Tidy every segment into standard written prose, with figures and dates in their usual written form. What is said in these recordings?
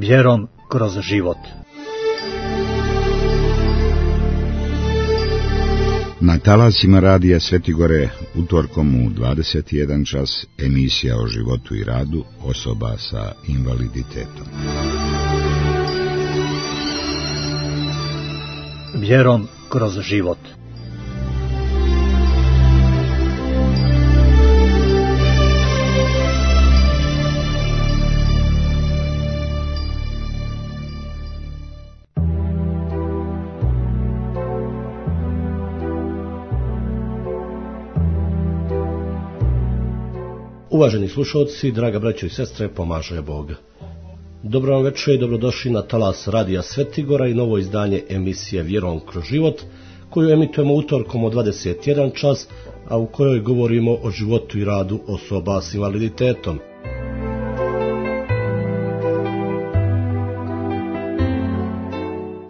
Vjerom kroz život. Na talasima radija Svetigore utorkom u 21 čas emisija o životu i radu osoba sa invaliditetom. Vjerom kroz život. Uvaženi slušalci, draga braćo i sestre, pomaže Bog. Dobro vam večer i dobrodošli na talas radija Svetigora i novo izdanje emisije Vjerom kroz život, koju emitujemo utorkom od 21 čas, a u kojoj govorimo o životu i radu osoba s invaliditetom.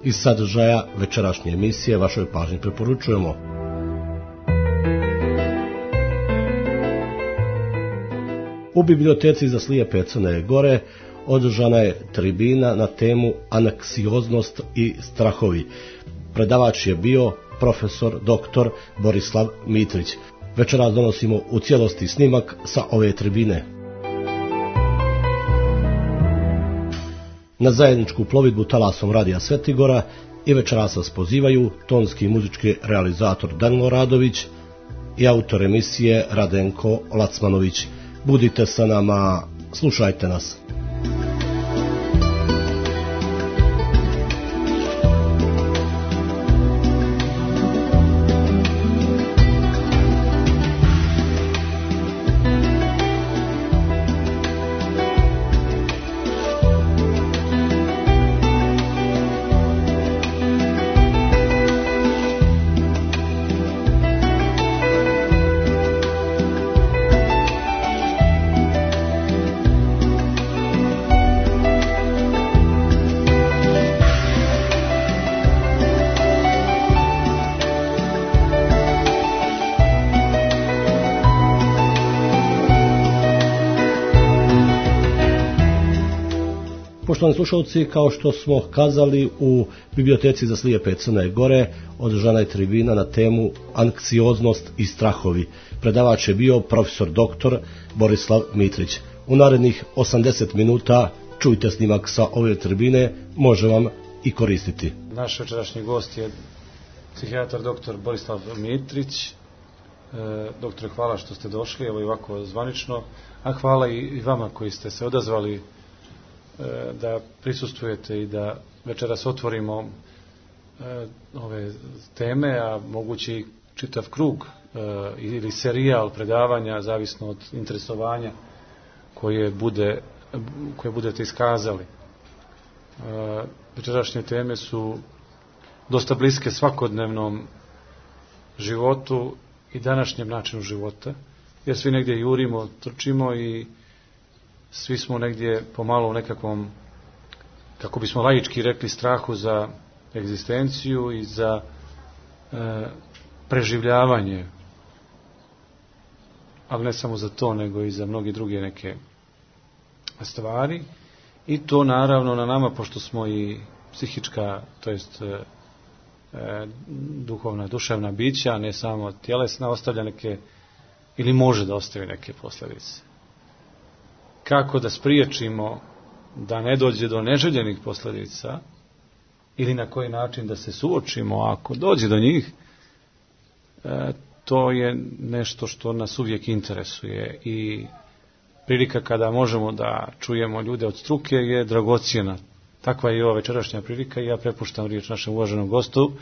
Iz sadržaja večerašnje emisije vašoj pažnji preporučujemo: u biblioteci za slijepe Crne Gore održana je tribina na temu anksioznost i strahovi. Predavač je bio profesor dr. Borislav Mitrić. Večeras donosimo u cijelosti snimak sa ove tribine. Na zajedničku plovidbu talasom radija Svetigora i večeras vas pozivaju tonski i muzički realizator Danilo Radović i autor emisije Radenko Lacmanović. Budite sa nama, slušajte nas. Poštovani slušalci, kao što smo kazali, u biblioteci za slijepe Crne Gore održana je tribina na temu anksioznost i strahovi. Predavač je bio profesor dr. Borislav Mitrić. U narednih 80 minuta čujte snimak sa ove tribine, može vam i koristiti. Naš večerašnji gost je psihijatar dr. Borislav Mitrić. Doktore, hvala što ste došli, evo i ovako zvanično, a hvala i vama koji ste se odazvali da prisustvujete i da večeras otvorimo ove teme, a mogući čitav krug ili serijal predavanja, zavisno od interesovanja koje budete iskazali. Večerašnje teme su dosta bliske svakodnevnom životu i današnjem načinu života, jer svi negdje jurimo, trčimo i svi smo negdje pomalo u nekakvom, kako bismo laički rekli, strahu za egzistenciju i za preživljavanje, ali ne samo za to, nego i za mnogi druge neke stvari. I to naravno na nama, pošto smo i psihička, to jest duhovna, duševna bića, ne samo tjelesna, ostavlja neke, ili može da ostavi neke posljedice. Kako da spriječimo da ne dođe do neželjenih posljedica ili na koji način da se suočimo ako dođe do njih, to je nešto što nas uvijek interesuje i prilika kada možemo da čujemo ljude od struke je dragocjena. Takva je i ova večerašnja prilika i ja prepuštam riječ našem uvaženom gostu,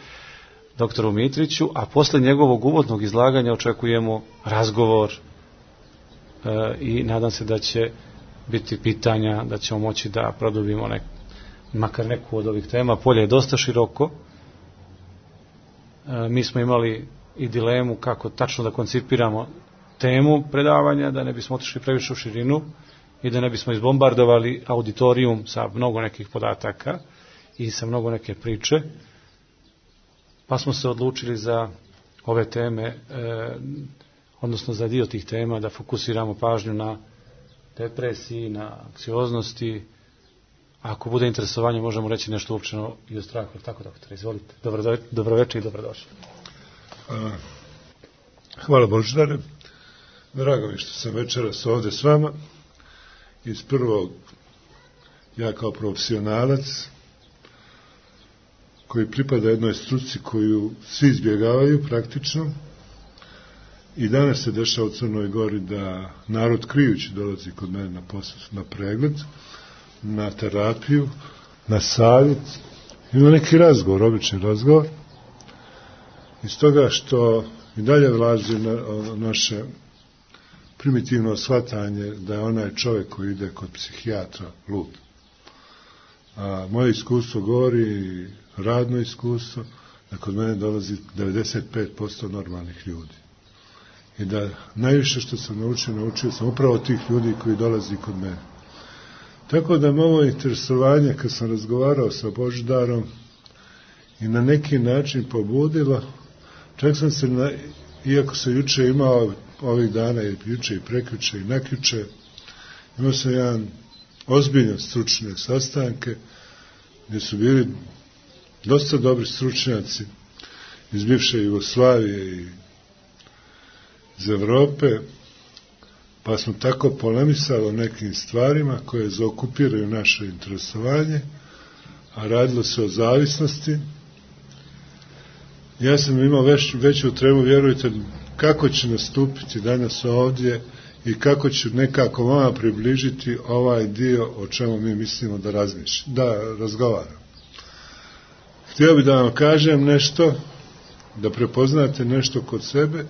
doktoru Mitriću, a posle njegovog uvodnog izlaganja očekujemo razgovor i nadam se da će biti pitanja, da ćemo moći da produbimo makar neku od ovih tema. Polje je dosta široko. Mi smo imali i dilemu kako tačno da koncipiramo temu predavanja, da ne bismo otišli previše u širinu i da ne bismo izbombardovali auditorijum sa mnogo nekih podataka i sa mnogo neke priče. Pa smo se odlučili za ove teme, odnosno za dio tih tema, da fokusiramo pažnju na depresiji, na anksioznosti, ako bude interesovanje, možemo reći nešto uopćeno i o strahu. Tako, doktore, izvolite. Dobroveče i dobrodošli. Hvala Božidare. Drago mi što sam večeras ovdje s vama. Iz prvog, ja kao profesionalac, koji pripada jednoj struci koju svi izbjegavaju praktično, i danas se dešava u Crnoj Gori da narod krijući dolazi kod mene na pregled, na terapiju, na savjet i na neki razgovor, obični razgovor. Iz toga što i dalje vlazi naše primitivno shvatanje da je onaj čovjek koji ide kod psihijatra lud. A moje iskustvo govori, radno iskustvo, da kod mene dolazi 95% normalnih ljudi. I da najviše što sam naučio sam upravo tih ljudi koji dolazi kod mene. Tako da me ovo interesovanje, kad sam razgovarao sa Božidarom, i na neki način pobudilo, čak sam se, iako sam juče imao ovih dana, i juče i prekjuče i nakjuče, imao sam jedan ozbiljan stručne sastanke, gdje su bili dosta dobri stručnjaci iz bivše Jugoslavije i iz Evrope, pa smo tako polemisali o nekim stvarima koje zaokupiraju naše interesovanje, a radilo se o zavisnosti. Ja sam imao veću tremu, vjerujte, kako će nastupiti danas ovdje i kako ću nekako vama približiti ovaj dio o čemu mi mislimo da razgovaramo. Htio bih da vam kažem nešto, da prepoznate nešto kod sebe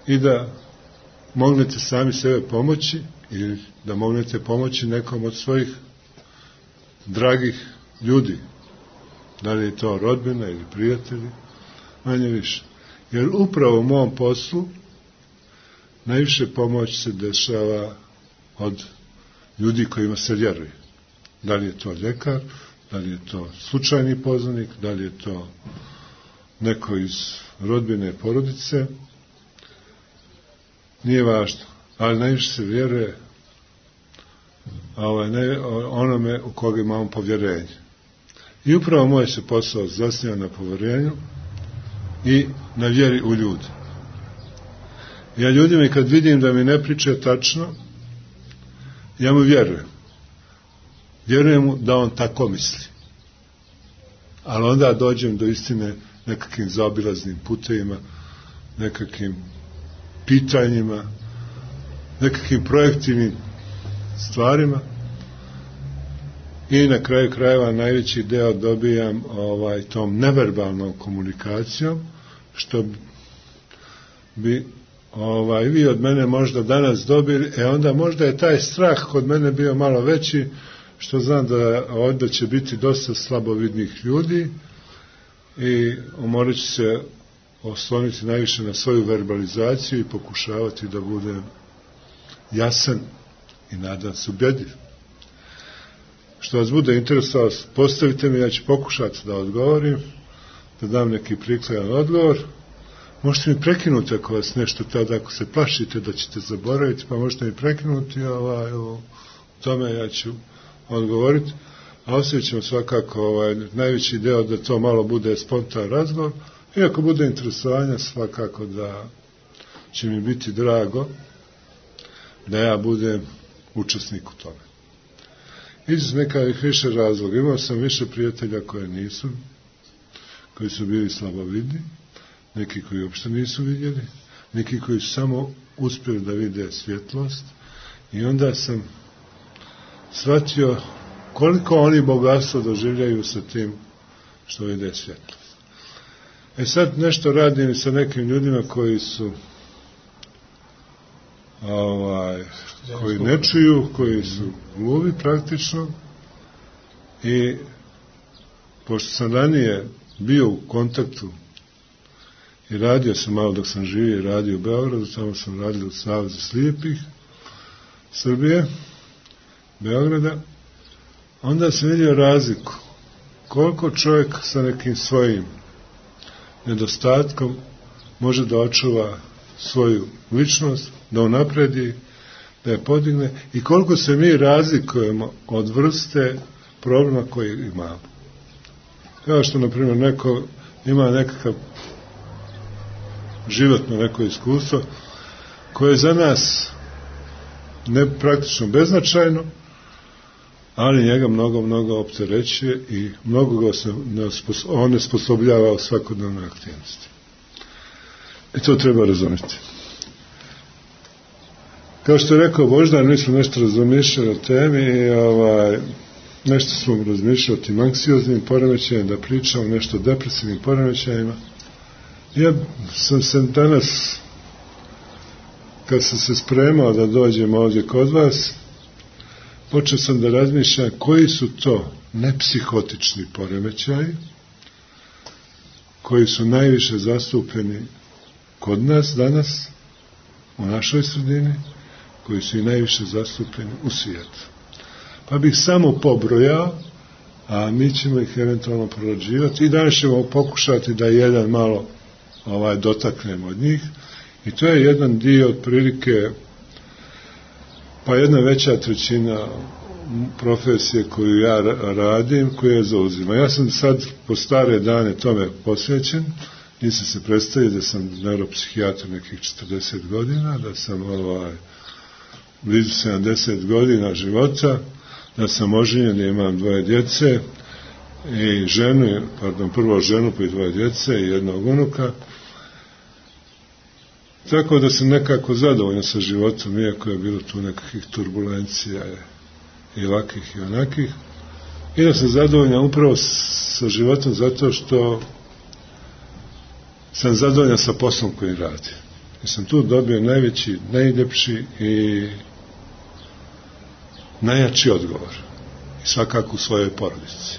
i da mognete sami sebe pomoći ili da mognete pomoći nekom od svojih dragih ljudi. Da li je to rodbina ili prijatelji, manje više. Jer upravo u mom poslu najviše pomoć se dešava od ljudi kojima se vjeruje. Da li je to ljekar, da li je to slučajni poznanik, da li je to neko iz rodbine porodice, nije važno, ali najviše se vjeruje onome u koga imamo povjerenje. I upravo moj se posao zasniva na povjerenju i na vjeri u ljude. Ja ljudima, kad vidim da mi ne priča tačno, ja mu vjerujem. Vjerujem mu da on tako misli. Ali onda dođem do istine nekakvim zaobilaznim putevima, nekakvim pitanjima, nekakvim projektivnim stvarima i na kraju krajeva najveći deo dobijam tom neverbalnom komunikacijom, što bi vi od mene možda danas dobili, onda možda je taj strah kod mene bio malo veći, što znam da ovdje će biti dosta slabovidnih ljudi i morat ću se osloniti najviše na svoju verbalizaciju i pokušavati da budem jasan i nadam se ubjedljiv. Što vas bude interesovalo, postavite mi, ja ću pokušati da odgovorim, da dam neki prikladan odgovor. Možete mi prekinuti ako vas nešto tada, ako se plašite da ćete zaboraviti, pa možete mi prekinuti u tome, ja ću odgovoriti. A ostavit ćemo svakako najveći deo da to malo bude spontan razgovor. I ako bude interesovanja, svakako da će mi biti drago da ja budem učesnik u tome. Iz nekakvih više razloga. Imao sam više prijatelja koji su bili slabovidni, neki koji uopšte nisu vidjeli, neki koji su samo uspjeli da vide svjetlost, i onda sam shvatio koliko oni bogatstvo doživljaju sa tim što vide svjetlost. Sad nešto radim sa nekim ljudima koji su koji ne čuju, koji su gluvi praktično, i pošto sam ranije bio u kontaktu i radio sam malo dok sam živio i radio u Beogradu, tamo sam radio u Savezu slijepih Srbije, Beograda, onda sam vidio razliku koliko čovjek sa nekim svojim nedostatkom može da očuva svoju ličnost, da unapredi, da je podigne, i koliko se mi razlikujemo od vrste problema koji imamo. Kao što, na primjer, neko ima nekakav životno neko iskustvo koje je za nas ne praktično beznačajno, ali njega mnogo opterećuje i mnogo ga onesposobljava u svakodnevnoj aktivnosti. I to treba razumjeti. Kao što je rekao Boždar, mi smo nešto razmišljali o temi i nešto smo razmišljali o tim anksioznim poremećajima, da pričamo nešto o depresivnim poremećajima. Ja sam se danas, kad sam se spremao da dođem ovdje kod vas, počeo sam da razmišljam koji su to nepsihotični poremećaji koji su najviše zastupeni kod nas danas, u našoj sredini, koji su i najviše zastupeni u svijetu. Pa bih samo pobrojao, a mi ćemo ih eventualno prorađivati i danas ćemo pokušati da jedan malo dotaknemo od njih. I to je jedan dio otprilike, pa jedna veća trećina profesije koju ja radim, koju ja zauzimam. Ja sam sad po stare dane tome posvećen, nisam se predstavio da sam neuropsihijatar nekih 40 godina, da sam blizu 70 godina života, da sam oženjen, da imam 2 djece i prvo ženu pa i 2 djece i jednog unuka. Tako da sam nekako zadovoljan sa životom, iako je bilo tu nekakvih turbulencija i ovakvih i onakih. I da sam zadovoljan upravo sa životom zato što sam zadovoljan sa poslom koji radim. I sam tu dobio najveći, najljepši i najjači odgovor. I svakako u svojoj porodici.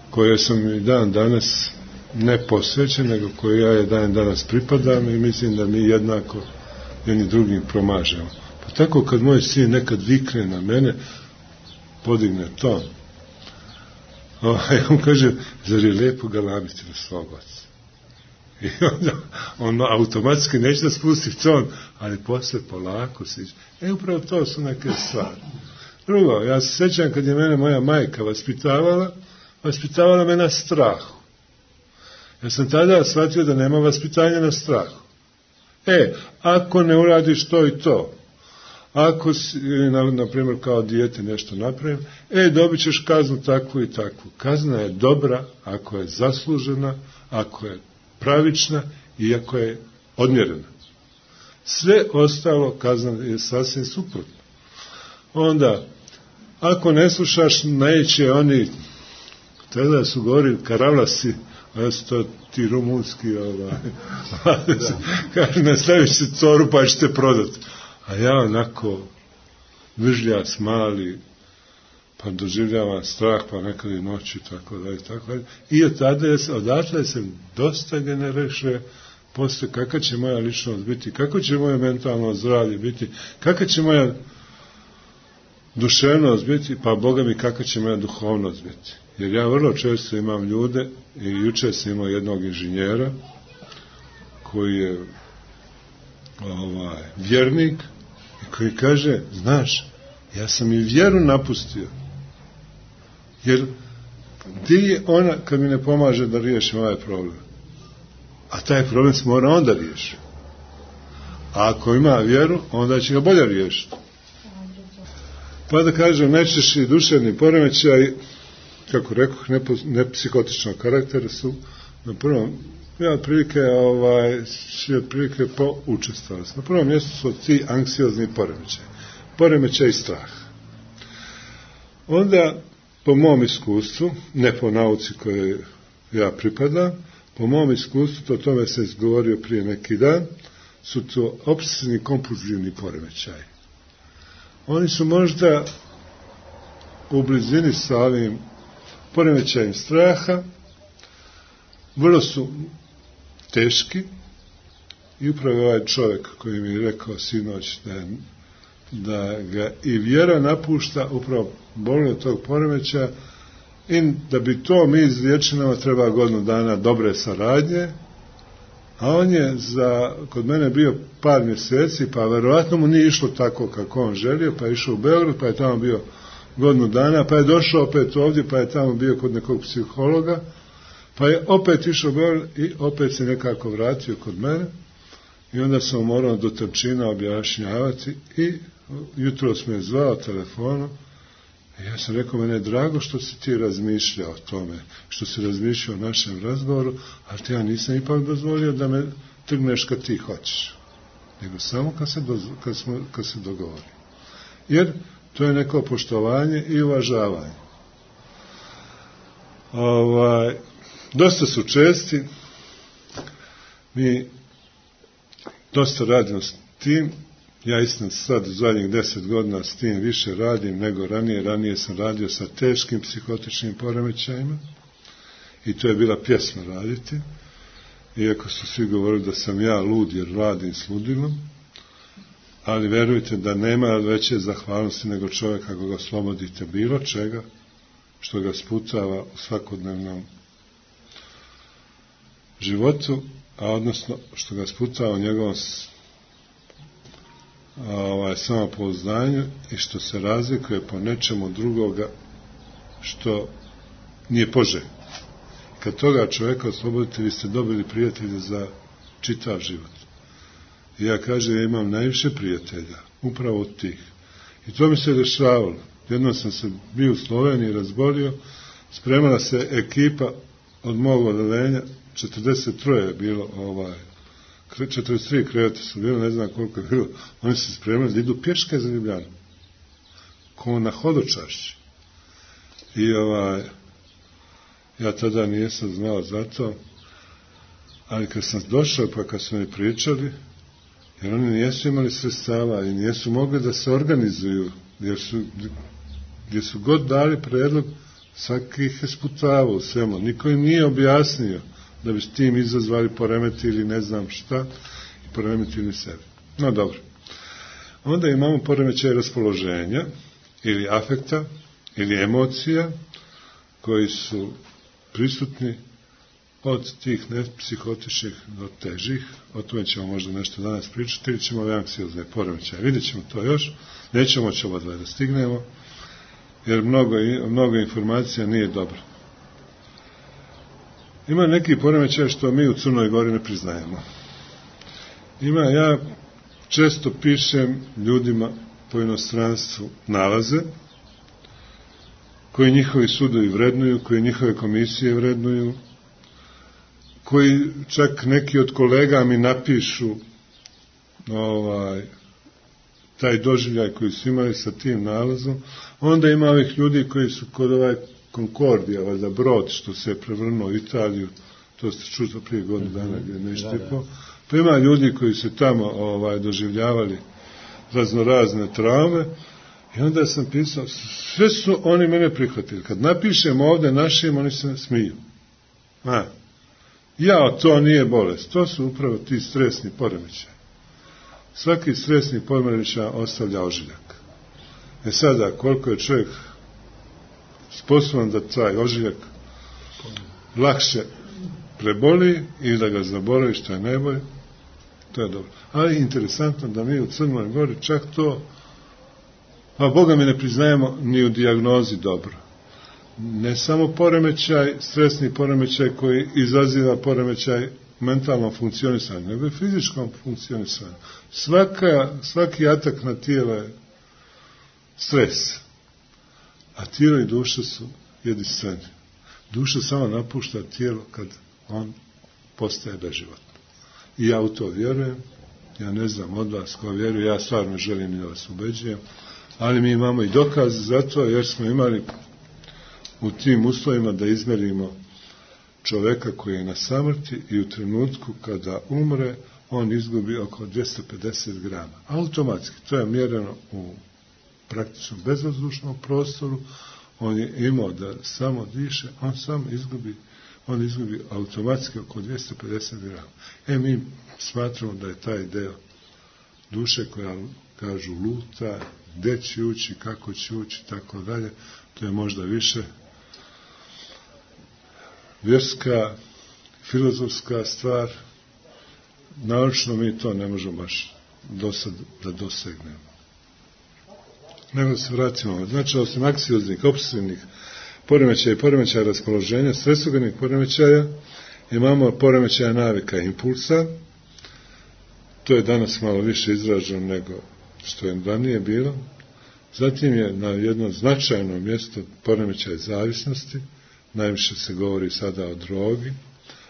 Koje sam i dan danas ne posvećen, nego koji ja dan danas pripadam i mislim da mi jednako jedni drugim promažemo. Pa tako kad moj sin nekad vikne na mene, podigne ton, on kaže, zar je lijepo galamiti na svog oca? I onda on automatski neće da spusti ton, ali posle polako siđe. Upravo to su neke stvari. Drugo, ja se sjećam kad je mene moja majka vaspitavala me na strahu. Ja sam tada shvatio da nema vaspitanja na strahu. Ako ne uradiš to i to, ako si, na primjer, kao dijete nešto napravim, dobit ćeš kaznu takvu i takvu. Kazna je dobra ako je zaslužena, ako je pravična i ako je odmjerena. Sve ostalo kazna je sasvim suprotno. Onda, ako ne slušaš, neće oni, tada su govorili karavlasi, a su to ti rumunski, kaže, nastaviš se coru pa ćete prodati. A ja onako vržlja smali, pa doživljavam strah, pa nekad i noću, tako da. I odatle sam dosta generiše postoje kakva će moja ličnost biti, kako će moje mentalno zdravlje biti, kakva će moja duševnost biti, pa Boga mi kakva će moja duhovnost biti. Jer ja vrlo često imam ljude, i jučer sam imao jednog inženjera koji je vjernik i koji kaže, znaš, ja sam i vjeru napustio. Jer gdje je ona kad mi ne pomaže da riješim ovaj problem? A taj problem se mora onda riješiti. A ako ima vjeru, onda će ga bolje riješiti. Pa da kažem, najčešći duševni poremećaj, kako rekoh, nepsihotičnog karaktera su na prvom, prilike po učestvosti. Na prvom mjestu su ti anksiozni poremećaj strah. Onda, po mom iskustvu, ne po nauci koje ja pripadam, po mom iskustvu, o tome sam izgovorio prije neki dan, su to obsesivni kompulzivni poremećaji. Oni su možda u blizini sa ovim poremećajem straha, vrlo su teški i upravo ovaj čovjek koji mi je rekao sinoć da ga i vjera napušta, upravo boli od tog poremećaja, i da bi to mi izliječili nama treba godinu dana dobre saradnje, a on je kod mene bio par mjeseci, pa verovatno mu nije išlo tako kako on želio, pa je išao u Beograd, pa je tamo bio godinu dana, pa je došao opet ovdje, pa je tamo bio kod nekog psihologa, pa je opet išao i opet se nekako vratio kod mene i onda sam morao do trčina objašnjavati i jutros me je zvao telefonom i ja sam rekao, mene je drago što si ti razmišljao o tome, što si razmišljao o našem razgovoru, ali ti ja nisam ipak dozvolio da me trgneš kad ti hoćeš, nego samo kad se dogovori. Jer to je neko poštovanje i uvažavanje. Dosta su česti, mi dosta radimo s tim, ja istina sad u zadnjih 10 godina s tim više radim nego ranije sam radio sa teškim psihotičnim poremećajima i to je bila pjesma raditi, iako su svi govorili da sam ja lud jer radim s ludilom, ali verujte da nema veće zahvalnosti nego čovjeka kako ga oslobodite bilo čega što ga sputava u svakodnevnom životu, a odnosno što ga sputava u njegovom samopouzdanju i što se razlikuje po nečemu drugoga što nije poželjno. Kad toga čovjeka oslobodite, vi ste dobili prijatelje za čitav život. I ja kažem, ja imam najviše prijatelja, upravo od tih. I to mi se dešavalo. Jednom sam se bio u Sloveniji, razbolio, spremala se ekipa od mog odeljenja, 43 je bilo, 43 kreveta su bilo, ne znam koliko je bilo, oni se spremali da idu pješke za Ljubljanu, ko na hodočašći. I ja tada nisam znao za to, ali kad sam došao, pa kad su mi pričali, jer oni nijesu imali sredstava i nijesu mogli da se organizuju, gdje su god dali predlog, svaki ih je sputavao u svemu. Niko im nije objasnio da bi s tim izazvali poremetili ne znam šta i poremetili sebe. No dobro. Onda imamo poremećaj raspoloženja ili afekta ili emocija koji su prisutni od tih nepsihotičnih do težih. O tome ćemo možda nešto danas pričati ili ćemo anksiozne poremećaje. Vidjet ćemo to još. Nećemo će oba dva da stignemo jer mnogo informacija nije dobro. Ima neki poremećaj što mi u Crnoj Gori ne priznajemo. Ja često pišem ljudima po inostranstvu nalaze koji njihovi sudovi vrednuju, koji njihove komisije vrednuju, koji čak neki od kolega mi napišu taj doživljaj koji su imali sa tim nalazom. Onda ima ovih ljudi koji su kod Konkordija, valjda brod što se je prevrnuo u Italiju, to ste čuli prije godinu dana gdje nešto je po. Pa ima ljudi koji su tamo doživljavali raznorazne traume i onda sam pisao, sve su oni mene prihvatili. Kad napišem ovdje našim, oni se smiju. To nije bolest, to su upravo ti stresni poremećaj. Svaki stresni poremećaj ostavlja ožiljak. Sada, koliko je čovjek sposoban da taj ožiljak lakše preboli ili da ga zaboravi, što je najbolje, to je dobro. Ali interesantno da mi u Crnoj Gori čak to, Boga mi ne priznajemo ni u dijagnozi dobro. Ne samo poremećaj, stresni poremećaj koji izaziva poremećaj mentalnom funkcionisanju, nego i fizičkom funkcionisanju. Svaki atak na tijelo je stres, a tijelo i duša su jedinstveni. Duša samo napušta tijelo kad on postaje beživotno. I ja u to vjerujem, ja ne znam od vas ko vjeruje, ja stvarno želim i da vas ubeđujem, ali mi imamo i dokaz za to, jer smo imali u tim uslovima da izmerimo čoveka koji je na samrti i u trenutku kada umre, on izgubi oko 250 grama. Automatski, to je mjereno u praktično bezvazdušnom prostoru, on je imao da samo diše, on izgubi automatski oko 250 grama. Mi smatramo da je taj deo duše koja, kažu, luta, gde će ući, kako će ući, tako dalje, to je možda više vjerska, filozofska stvar, naročno mi to ne možemo baš do sad da dosegnemo. nego da se vratimo. Znači, osim anksioznih, opsesivnih poremećaja i poremećaja raspoloženja, stresogenih poremećaja, imamo poremećaja navika i impulsa. To je danas malo više izraženo nego što je ranije bilo. Zatim je na jedno značajno mjesto poremećaj zavisnosti, najviše se govori sada o drogi,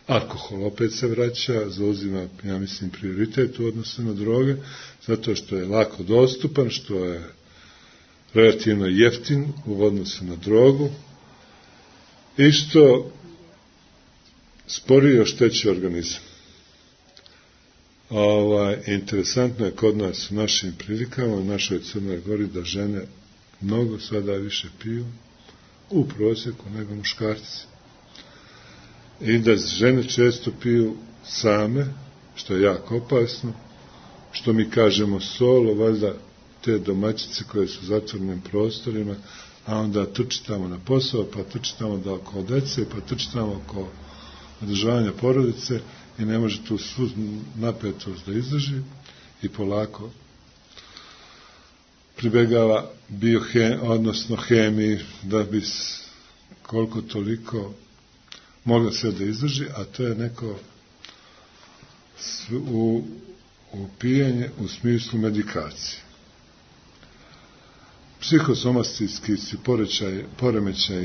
alkohol opet se vraća, zauzima, ja mislim, prioritet u odnosu na droge, zato što je lako dostupan, što je relativno jeftin u odnosu na drogu i što sporije oštećuje organizam. Interesantno je kod nas u našim prilikama, u našoj Crnoj Gori, da žene mnogo sada više piju u prosjeku nego muškarci. I da žene često piju same, što je jako opasno, što mi kažemo solo, valjda te domaćice koje su u zatvorenim prostorima, a onda trčitamo na posao, pa trčitamo da oko dece, pa trčitamo oko održavanja porodice i ne može tu svu napetost da izdrži i polako pribegava odnosno hemiji da bi koliko toliko mogla sve da izdrži, a to je neko upijanje u smislu medikacije. Psihosomatski su poremećaj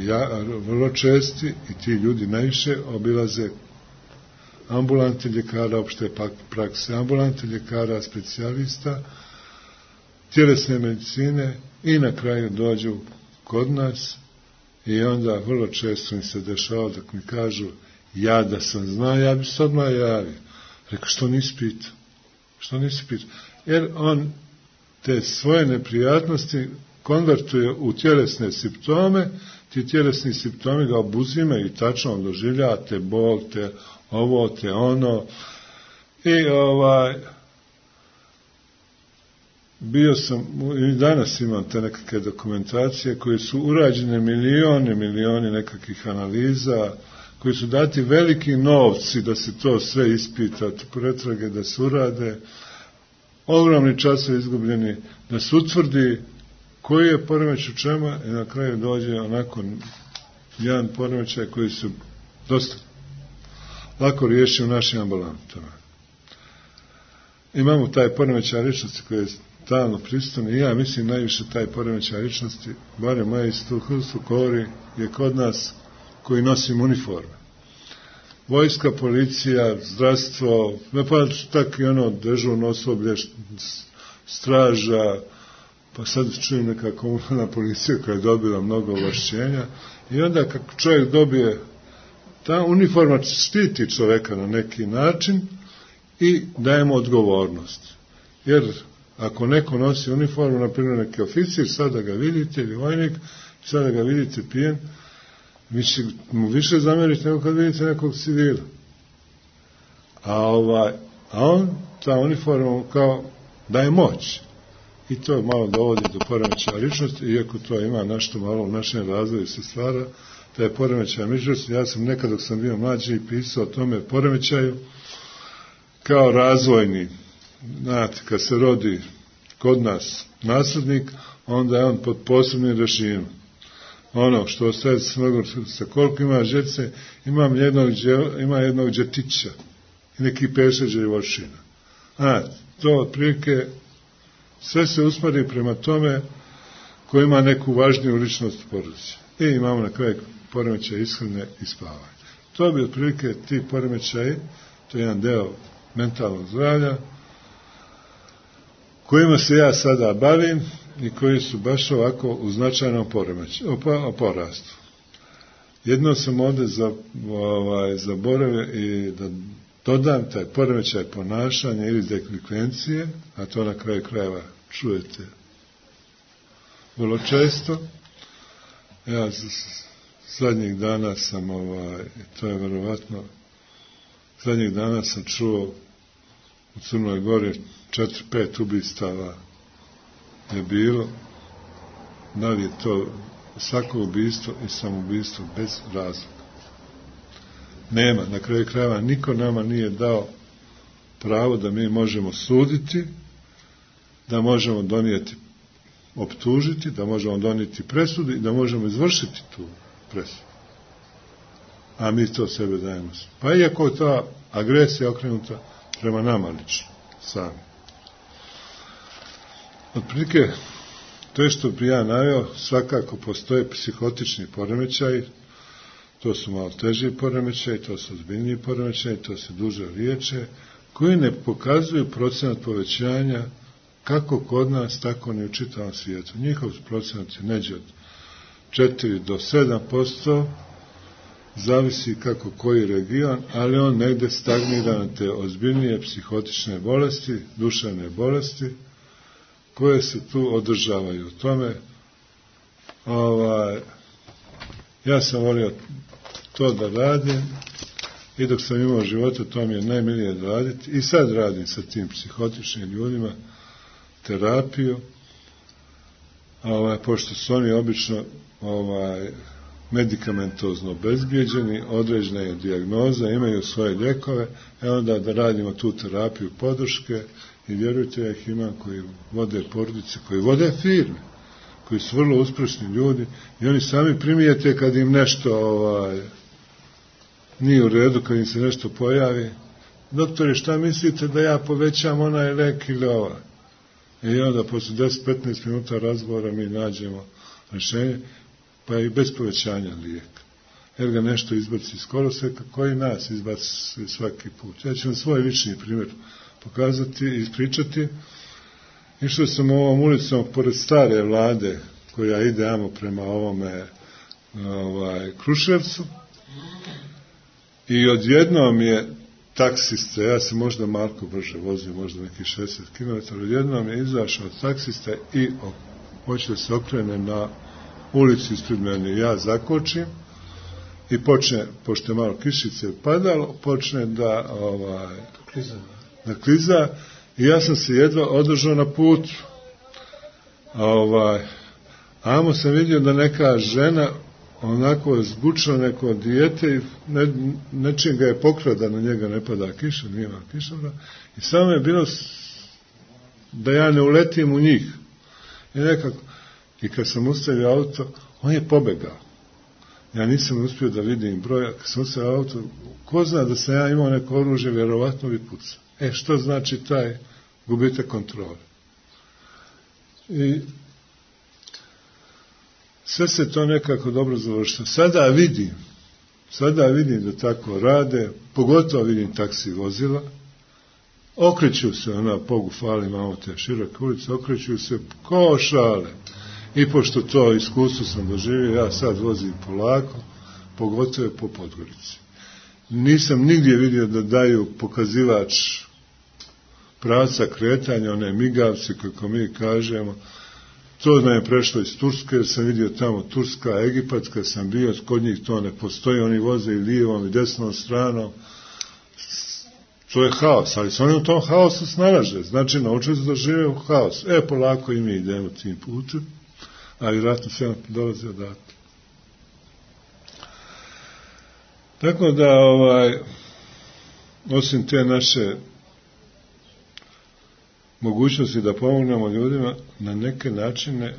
vrlo česti i ti ljudi najviše obilaze ambulante ljekara, opšte prakse, ambulante ljekara, specijalista, tjelesne medicine i na kraju dođu kod nas i onda vrlo često mi se dešava da mi kažu ja da sam znao, ja bi se odmah javio. Rekao, što nisi pitao? Jer on te svoje neprijatnosti konvertuje u tjelesne simptome, ti tjelesni simptomi ga obuzimaju i tačno on doživlja te bol, te ovo, te ono. I bio sam, i danas imam te nekakve dokumentacije koje su urađene milioni nekakvih analiza, koji su dati veliki novci da se to sve ispita, pretrage da se urade, ogromni časovi izgubljeni, da se utvrdi koji je poremećaj u čemu i na kraju dođe onako jedan poremećaj koji su dosta lako riješio u našim ambulantama. Imamo taj poremećaj ličnosti koji je stalno prisutan i ja mislim najviše taj poremećaj ličnosti, barem moje iskustvo govori, je kod nas koji nosimo uniforme. Vojska, policija, zdravstvo, pa tak i ono dežurno osoblje, straža, pa sad čujem neka komunalna policija koja je dobila mnogo ovlašćenja i onda kako čovjek dobije, ta uniforma štiti čovjeka na neki način i daje mu odgovornost. Jer ako neko nosi uniformu, na primjer neki oficir, sada ga vidite, ili vojnik, sada ga vidite pijen, vi će mu više zamjeriti nego kad vidite nekog civila. A on, ta uniforma kao daje moć. I to malo dovodi do poremećaja ličnosti, iako to ima nešto malo u našem razvoju se stvara, taj poremećaj ličnosti. Ja sam nekad dok sam bio mlađi pisao o tome poremećaju kao razvojni. Znate, kad se rodi kod nas naslednik, onda je on pod posebnim režimom. Ono što ostaje sa koliko ima žece, ima jednog džetića i neki 5-6 živočina. To otprilike sve se usmeri prema tome ko ima neku važniju ličnost u porodici. I imamo na kraju poremećaj ishrane i spavanja. To bi otprilike ti poremećaji, to je jedan deo mentalnog zdravlja, kojima se ja sada bavim i koji su baš ovako u značajnom porastu. Jedno sam ovdje zaboravio i da dodam taj poremećaj ponašanja ili delikvencije, a to na kraju krajeva čujete vrlo često. Ja zadnjih dana sam, to je verovatno, zadnjih dana sam čuo u Crnoj Gori 4-5 ubistava je bilo, da li je to svako ubistvo i samoubistvo bez razloga. Nema, na kraju krajeva niko nama nije dao pravo da mi možemo suditi, da možemo donijeti optužiti, da možemo donijeti presudu i da možemo izvršiti tu presudu. A mi to sebe dajemo. Pa iako je ta agresija okrenuta prema nama lično, sami. Otprilike, to je što bi ja naveo, svakako postoje psihotični poremećaji, to su malo teži poremećaji, to su ozbiljniji poremećaji, to se duže liječe, koji ne pokazuju procenat povećanja kako kod nas, tako ni u čitavom svijetu. Njihov procenat je neđe od 4 do 7%, zavisi kako koji region, ali on negde stagnira na te ozbiljnije psihotične bolesti, duševne bolesti, koje se tu održavaju. U tome, ja sam volio to da radim i dok sam imao života, to mi je najmilije da raditi. I sad radim sa tim psihotičnim ljudima terapiju, pošto su oni obično medikamentozno obezbijeđeni, određena je dijagnoza, imaju svoje lijekove, onda da radimo tu terapiju podrške i vjerujte, ja ih imam koji vode porodice, koji vode firme, koji su vrlo uspješni ljudi i oni sami primijete kad im nešto nije u redu, kad im se nešto pojavi. Doktore, šta mislite da ja povećam onaj lek ili ovaj? I onda posle 10-15 minuta razgovora mi nađemo rješenje, pa i bez povećanja lijeka. Jer ga nešto izbaci skoro sve, koji nas izbaci svaki put. Ja ću vam svoj lični primjer pokazati i ispričati. Išao sam ovom ulicom pored stare Vlade, koja ide amo prema ovome Kruševcu, i odjednom je taksista, ja sam možda malko brže vozio, možda nekih 60 km, odjednom je izašao taksista i hoće da se okrene na ulici ispred mene. Ja zakočim i počne, pošto je malo kišice padalo, počne da kliza i ja sam se jedva održao na putu. Amo sam vidio da neka žena onako zbučila neko dijete i nečim ga je pokrada, na njega ne pada kiša, nije vam kiša, i samo je bilo da ja ne uletim u njih. I kad sam ustavio auto, on je pobegao. Ja nisam uspio da vidim broja. Kad sam ustavio auto, ko zna da sam ja imao neko oružje, vjerovatno bi pucao. Što znači taj gubitak kontrole? I sve se to nekako dobro završilo. Sada vidim da tako rade, pogotovo vidim taksi vozila, okreću se, Bogu fali, imamo te široke ulice, okreću se ko šale. I pošto to iskustvo sam doživio, ja sad vozim polako, pogotovo po Podgorici. Nisam nigdje vidio da daju pokazivač pravca kretanja, one migavci, kako mi kažemo. To nam je prešlo iz Turske, jer sam vidio tamo Turska, Egipat, kad sam bio, kod njih to ne postoji, oni voze i lijevom i desnom stranom. To je haos, ali se oni u tom haosu snalaže, znači naučili su da žive u haosu. Polako i mi idemo tim putem, a vjerojatno sve nam dolazi odatle. Tako da, osim te naše mogućnosti da pomognemo ljudima, na neke načine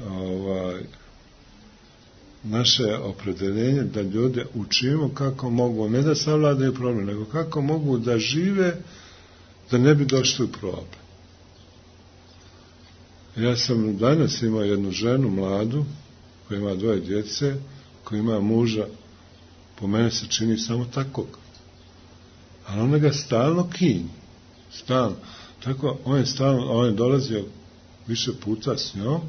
naše opredeljenje da ljude učimo kako mogu, ne da savladaju problem, nego kako mogu da žive da ne bi došli u problem. Ja sam danas imao jednu ženu mladu koja ima 2 djece, koja ima muža, po mene se čini samo takvog, ali ona ga stalno kinji, stalno. Tako, on je dolazio više puta s njom,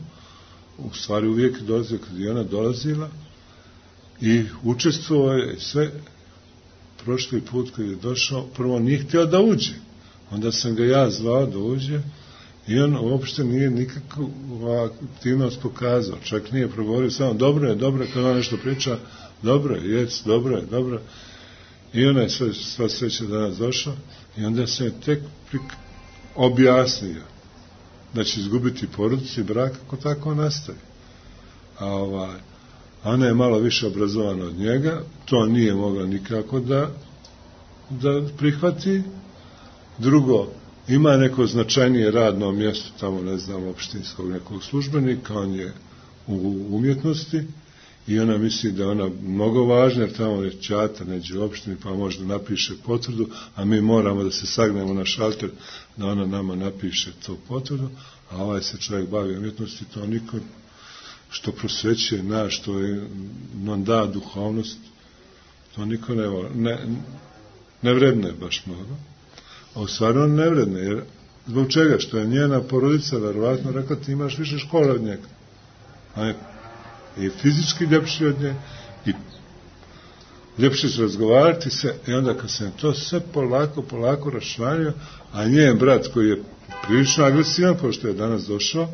u stvari uvijek dolazio kad je ona dolazila i učestvovao je sve. Prošli put kad je došao, prvo nije htio da uđe, onda sam ga ja zvao da uđe i on uopšte nije nikakvu aktivnost pokazao, čak nije progovorio, samo dobro je, kad ona nešto priča, dobro je, dobro. I ona je sva sreća danas došla i onda se tek objasnio da će izgubiti porodicu i brak ako tako nastavi. A ona je malo više obrazovana od njega, to nije mogla nikako da prihvati. Drugo, ima neko značajnije radno mjesto, tamo ne znam, opštinskog nekog službenika, on je u umjetnosti i ona misli da je ona mnogo važna, jer tamo je ćata neđe u opštini, pa možda napiše potvrdu, a mi moramo da se sagnemo na šalter da ona nama napiše tu potvrdu, a ovaj se čovjek bavi umjetnosti, to niko što prosvećuje što je nam da duhovnost, to niko ne vredne baš mnogo. A u stvari on ne vredne, jer zbog čega? Što je njena porodica verovatno rekla ti imaš više škole od njega. I fizički ljepši od nje, i ljepši se razgovarati se, i onda kad se to sve polako raščlanio, a njen brat koji je prilično agresivan, pošto je danas došao,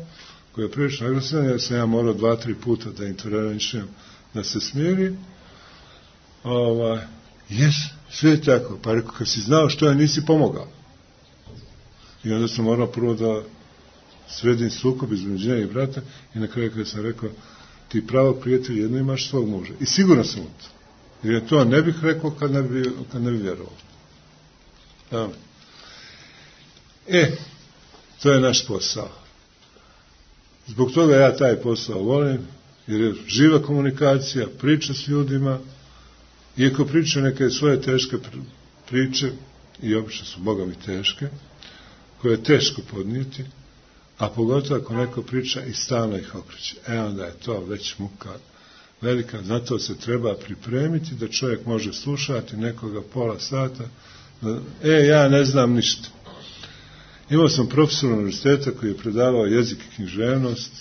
koji je prilično agresivan, jer sam ja morao 2-3 puta da intervenišem da se smiri, sve je tako, pa rekao, kad si znao što je, nisi pomogao. I onda sam morao prvo da sredim sukob između nje i brata, i na kraju kada sam rekao, ti pravo prijatelj, jedno imaš svog muža. I sigurno sam u to. Jer to ne bih rekao kad ne bi vjerovao. To je naš posao. Zbog toga ja taj posao volim, jer je živa komunikacija, priča s ljudima, iako priča neke svoje teške priče, i obično su Boga mi teške, koje je teško podnijeti, a pogotovo ako neko priča i stalno ih okreće. Onda je to već muka velika, zato se treba pripremiti da čovjek može slušati nekoga pola sata, ja ne znam ništa. Imao sam profesora univerziteta koji je predavao jezik i književnost,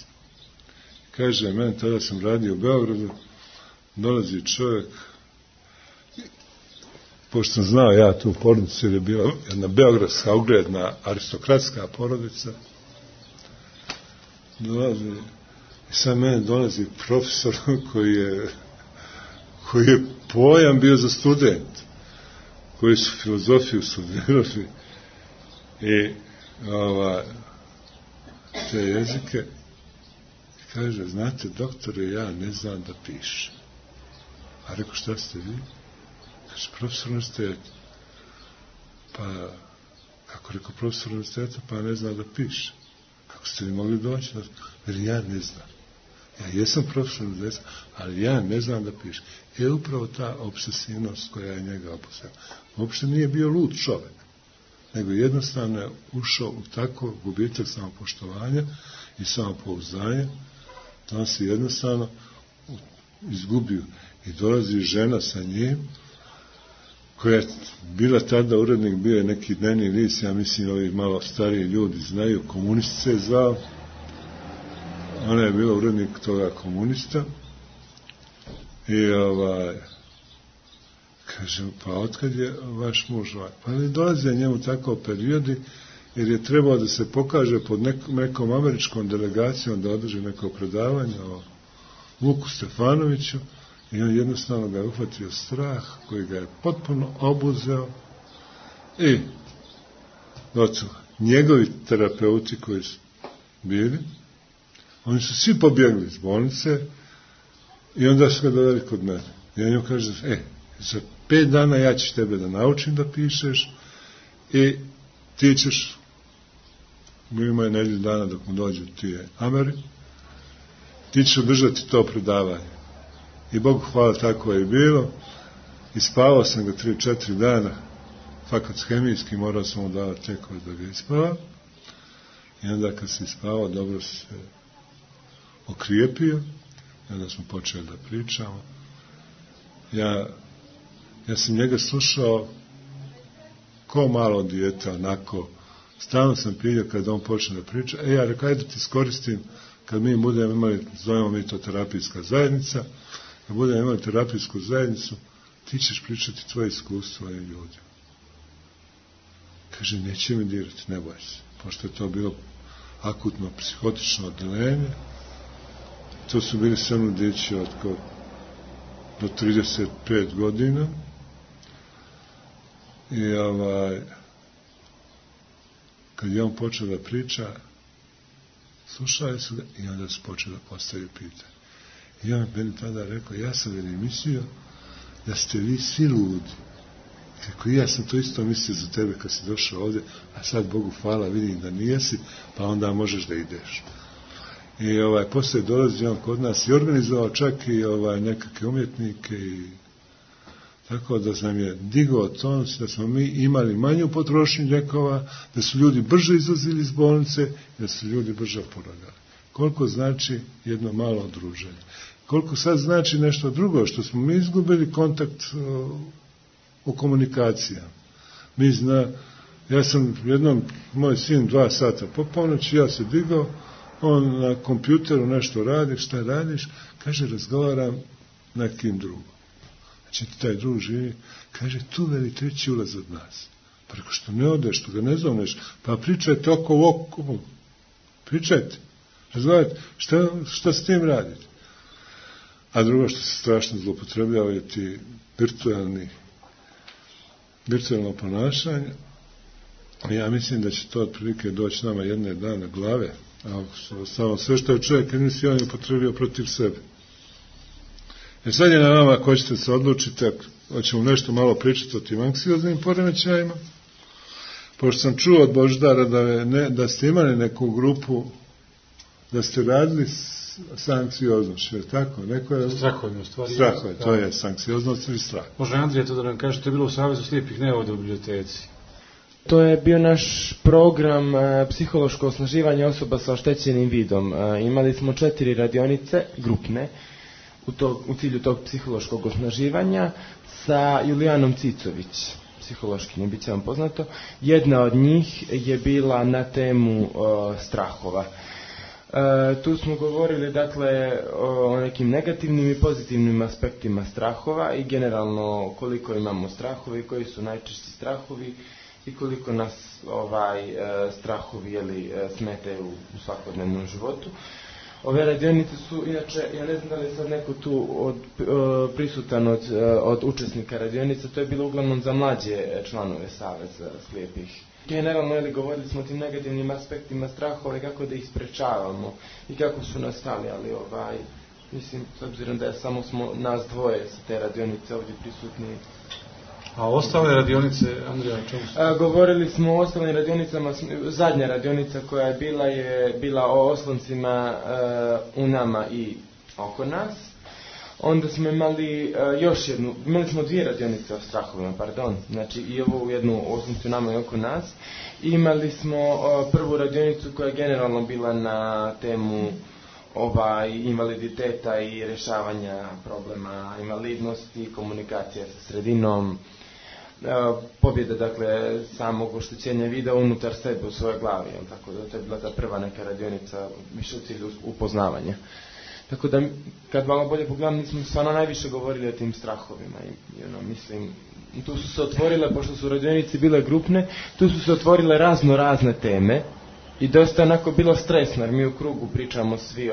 kaže, meni tada sam radio u Beogradu, dolazi čovjek, pošto sam znao ja tu porodicu, jer je bila jedna beogradska ugledna aristokratska porodica, dolazi, i sad meni dolazi profesor koji je pojam bio za student, koji su filozofiju studirali i te jezike, i kaže, znate, doktore, ja ne znam da pišem. A rekao, šta ste vi? Kaže, profesor univerziteta. Pa, kako rekao profesor univerziteta, pa ne zna da piše. Kako ste li mogli doći? Jer ja ne znam. Ja jesam profesor univerziteta, ali ja ne znam da piše. Je upravo ta obsesivnost koja je njega opustila. Uopšte nije bio lud čovjek, nego jednostavno je ušao u tako gubitak samopoštovanja i samopouzdanja, da on se jednostavno izgubio. I dolazi žena sa njim, koja je bila tada urednik, bio je neki dnevni list, ja mislim ovi malo stariji ljudi znaju, Komunist se je zvao, ona je bila urednik toga Komunista, i kaže, pa otkad je vaš muž? Pa ne dolaze njemu tako periodi, jer je trebao da se pokaže pod nekom američkom delegacijom da održi neko predavanje o Vuku Stefanoviću, i on jednostavno ga je uhvatio strah koji ga je potpuno obuzeo, i njegovi terapeuti koji su bili, oni su svi pobjegli iz bolnice, i onda su ga doveli kod mene. I on njemu kaže, za 5 dana ja ću tebe da naučim da pišeš, i ti ćeš, ima je 1 dana dok mu dođu ti Ameri, ti ćeš održati to predavanje. I Bogu hvala, tako je i bilo. I spavao sam ga 3-4 dana, fakat hemijski, morao sam mu davati tekove da ga ispava. I onda kad se ispavao, dobro se okrijepio, i onda smo počeli da pričamo. Ja sam njega slušao ko malo dijete, onako, stalno sam pilio kada on počne da priča, ja rekao, ajde ti iskoristim, kad mi budemo imali, zovemo mi to terapijska zajednica, kad budemo imali terapijsku zajednicu, ti ćeš pričati tvoje iskustvo ovim ljudima. Kaže, neće mi dirati, ne boj se, pošto je to bilo akutno psihotično odeljenje, to su bili sve mladići do 35 godina, i kad je on počeo da priča, slušali su ga, i onda su počeli da postavljaju pitanje. I on meni tada rekao, ja sam mislio da ste vi svi ludi, Kako ja sam to isto mislio za tebe kad si došao ovdje, a sad Bogu hvala, vidim da nijesi, pa onda možeš da ideš. I poslije dolazi on kod nas i organizovao čak i nekakve umjetnike i tako da nam je digao tonus, da smo mi imali manju potrošnju lijekova, da su ljudi brže izlazili iz bolnice i da su ljudi brže oporavljali. Koliko znači jedno malo druženje. Koliko sad znači nešto drugo, što smo mi izgubili kontakt u komunikacijama. Ja sam jednom, moj sin 2 sata po ponoći, ja se digao, on na kompjuteru nešto radi, šta radiš? Kaže, razgovaram nekim drugom. Znači, taj drug živi, kaže, tu veli 3. ulaz od nas. Preko što ne odeš, što ga ne zovneš, pa pričajte oko, pričajte, razgovarajte, šta s tim radite? A drugo što se strašno zloupotrebljava je ti virtualno ponašanje. Ja mislim da će to otprilike doći nama jedne dana glave, a samo sve što je čovjek nisi on upotrebio protiv sebe. Sad je na vama ako ćete se odlučiti, hoćemo nešto malo pričati o tim anksioznim poremećajima. Pošto sam čuo od Božidara da ste imali neku grupu, da ste radili s anksioznošću, je tako? Strahovima, u stvari. Strahove, to je anksioznost ili strah. Može Andrija to da nam kaže, to je bilo u Savezu slijepih nevoda u biblioteci. To je bio naš program psihološko osnaživanje osoba sa oštećenim vidom. Imali smo 4 radionice, grupne, u cilju tog psihološkog osnaživanja sa Julijanom Cicović, psihološkinjom, bit će vam poznato. Jedna od njih je bila na temu strahova. Tu smo govorili dakle o nekim negativnim i pozitivnim aspektima strahova i generalno koliko imamo strahova i koji su najčešći strahovi i koliko nas strahovi smetaju u svakodnevnom životu. Ove radionice su, inače, ja ne znam da li je sad neko tu prisutan od učesnika radionica, to je bilo uglavnom za mlađe članove Saveza slijepih. Generalno, govorili smo o tim negativnim aspektima strahova i kako da ih sprečavamo i kako su nastali, ali mislim, s obzirom da je samo smo nas dvoje sa te radionice ovdje prisutni. A ostale radionice, Andrija, o čemu ste? Govorili smo o ostalim radionicama, zadnja radionica koja je bila o osloncima u nama i oko nas. Onda smo imali imali smo 2 radionice o strahovima, znači i ovu jednu osloncu u nama i oko nas. Imali smo prvu radionicu koja je generalno bila na temu invaliditeta i rješavanja problema invalidnosti, komunikacija sa sredinom, pobjeda dakle samog oštećenja vida unutar sebe u svojoj glavi, tako da to je bila ta prva neka radionica više u cilju upoznavanja. Tako da kad malo bolje pogledam, mi smo stvarno najviše govorili o tim strahovima i mislim, tu su se otvorile, pošto su radionice bile grupne, tu su se otvorile razne teme i dosta onako bilo stresno, jer mi u krugu pričamo svi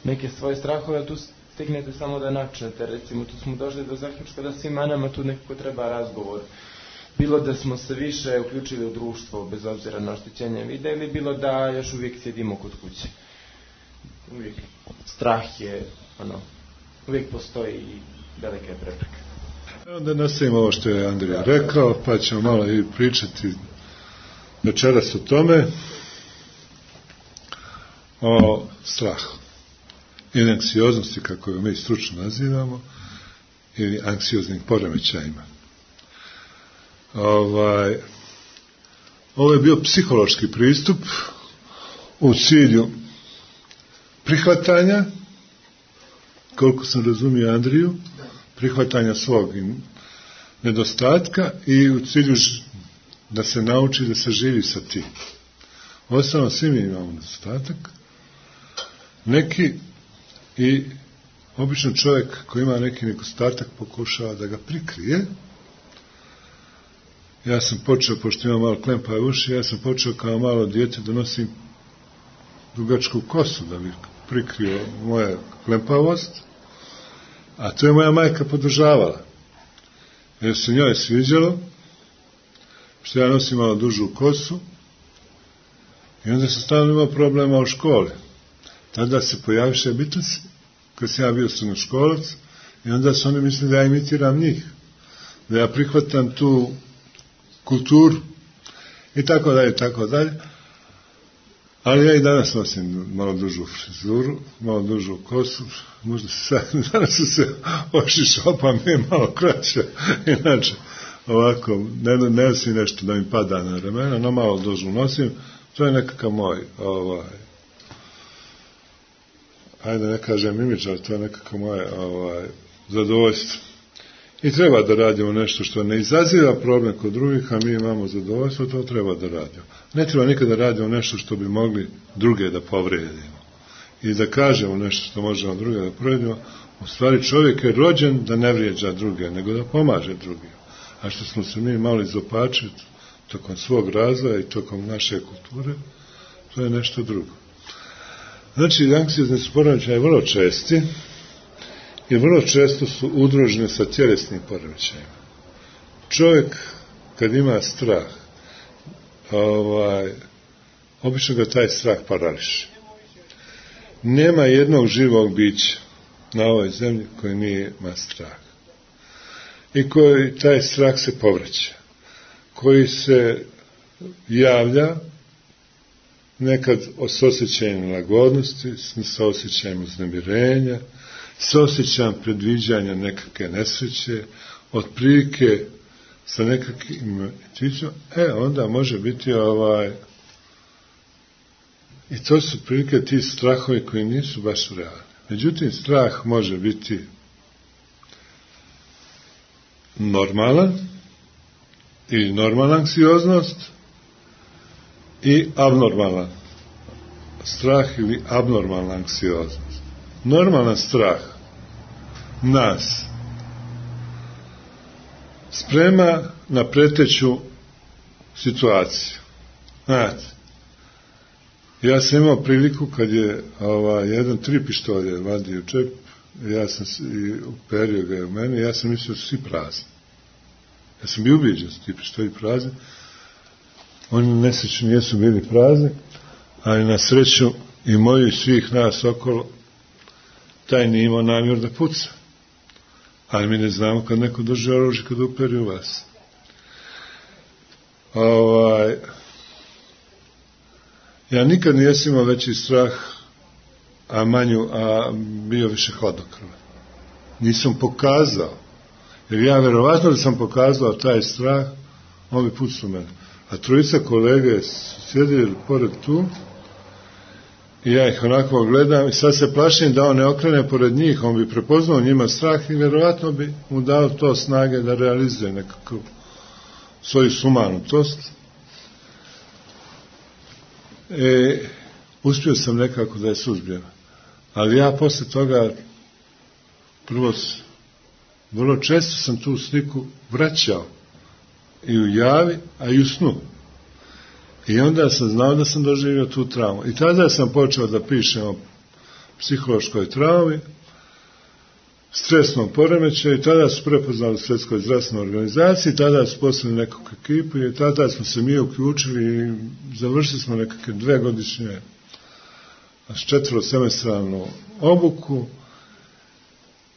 neke svoje strahove, a tu stignete samo da načnete, recimo tu smo došli do zaključka da svima nama tu nekako treba razgovor. Bilo da smo se više uključili u društvo bez obzira na oštećenje vida ili bilo da još uvijek sjedimo kod kuće. Uvijek strah je, uvijek postoji i velike prepreke. Onda nastavimo ovo što je Andrija rekao, pa ćemo malo i pričati večeras o tome, o strahu ili anksioznosti, kako je mi stručno nazivamo, ili anksioznim poremećajima. Ovo je bio psihološki pristup u cilju prihvatanja, koliko sam razumio Andriju, prihvatanja svog nedostatka i u cilju da se nauči da se živi sa tim. Osnovno, svi mi imamo nedostatak, neki i obično čovjek koji ima neki nedostatak pokušava da ga prikrije. Ja sam počeo, pošto imam malo klempave uši, ja sam počeo kao malo dijete da nosim dugačku kosu da bi prikrio moja klempavost, a to je moja majka podržavala. Jer se njoj sviđalo što ja nosim malo dužu kosu i onda sam stalno imao problema u školi. Tada se pojaviše Beatlesi, kad sam ja bio srednjoškolac, i onda su oni mislili da ja imitiram njih. da ja prihvatam tu kulturu i tako dalje. Ali ja i danas nosim malo dužu frizuru, malo dužu kosu, možda danas su se ošišao, pa mi je malo kraća, inače ovako, ne nosim nešto da mi pada na ramena, no malo dužu nosim, to je nekakav moj, ajde ne kažem imidž, ali to je nekakav moje zadovoljstvo. I treba da radimo nešto što ne izaziva problem kod drugih, a mi imamo zadovoljstvo, to treba da radimo. Ne treba nikada da radimo nešto što bi mogli druge da povredimo. I da kažemo nešto što možemo druge da povredimo, u stvari čovjek je rođen da ne vrijeđa druge, nego da pomaže drugim. A što smo se mi malo izopačili tokom svog razvoja i tokom naše kulture, to je nešto drugo. Znači, anksiozni su poremećaji vrlo česti i vrlo često su udruženi sa tjelesnim poremećajima. Čovjek, kad ima strah, obično ga taj strah parališe. Nema jednog živog bića na ovoj zemlji koji nije ima strah. I koji taj strah se povraća. Koji se javlja nekad s osjećajem lagodnosti, s osjećajem uznemirenja, s osjećajem predviđanja nekakve nesreće, otprilike sa nekakvim intuicijom, onda može biti i to su prilike ti strahovi koji nisu baš realni. Međutim, strah može biti normalan ili normalna anksioznost i abnormalan strah ili abnormalna anksioznost. Normalan strah nas sprema na preteću situaciju. Znate, ja sam imao priliku kad je jedan 3 pištolje vadio čep, ja sam uperio ga u mene, ja sam mislio da su svi prazni. Ja sam bio ubijeđen da su ti pištolji prazni. Oni nesrećni nisu bili prazni, ali na sreću i moju i svih nas okolo, taj nije imao namjer da puca. Ali mi ne znamo kad neko drži oružje kad uperi u vas. Ja nikad nisam imao veći strah, a bio više hladnokrvan. Nisam pokazao. Jer ja verovatno da sam pokazao taj strah, on bi pucao mene. A 3 kolege su sjedili pored tu i ja ih onako gledam i sad se plašim da on ne okrene pored njih, on bi prepoznao njima strah i verovatno bi mu dao to snage da realizuje nekako svoju sumanutost. Uspio sam nekako da je suzbijem. Ali ja posle toga vrlo često sam tu sliku vraćao i u javi, a i u snu. I onda sam znao da sam doživio tu traumu. I tada sam počeo da pišem o psihološkoj traumi, stresnom poremećaju, i tada su prepoznali Svjetskoj zdravstvenoj organizaciji, tada su poslali nekakvu ekipu i tada smo se mi uključili i završili smo nekakve 2-godišnje 4-semestralnu obuku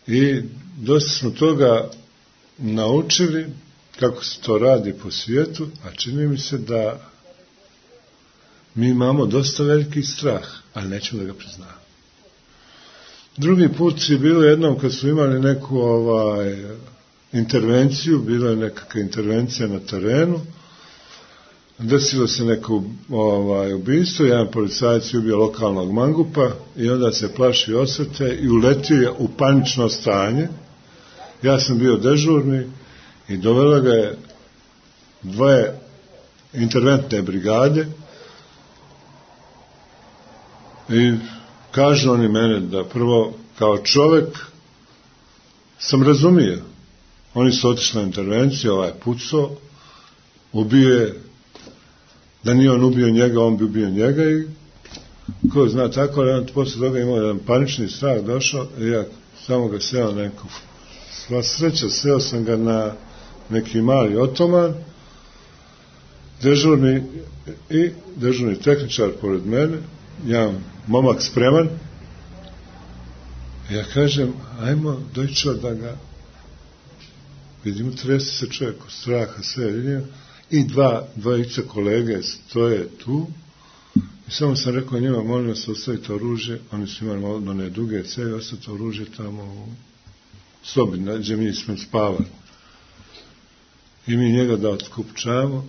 i dosta smo toga naučili kako se to radi po svijetu, a čini mi se da mi imamo dosta veliki strah, ali nećemo da ga priznamo. Drugi put je bilo jednom kad su imali neku intervenciju, bila je nekakva intervencija na terenu, desilo se neko ubistvo, jedan policajac je ubio lokalnog mangupa i onda se plaši osvete i uletio je u panično stanje. Ja sam bio dežurni i dovela ga je 2 interventne brigade i kažu oni mene da prvo kao čovjek sam razumio. Oni su otišli na intervenciju, ovaj pucao, ubio je, da nije on ubio njega, on bi ubio njega i ko zna tako, ali on posle toga imao jedan panični strah, došao i ja samo ga seo neku. Sva sreća, seo sam ga na neki mali otoman, dežurni tehničar pored mene, jedan momak spreman. Ja kažem, ajmo dojčo da ga vidimo, trese se čovjek od straha, sve vidim, i dvojica kolege stoje tu, i samo sam rekao njima, molim vas, ostavite oružje, oni su imali one duge cevi, ostavite oružje tamo u sobi, gdje mi smo spavali. I mi njega da otkupčamo,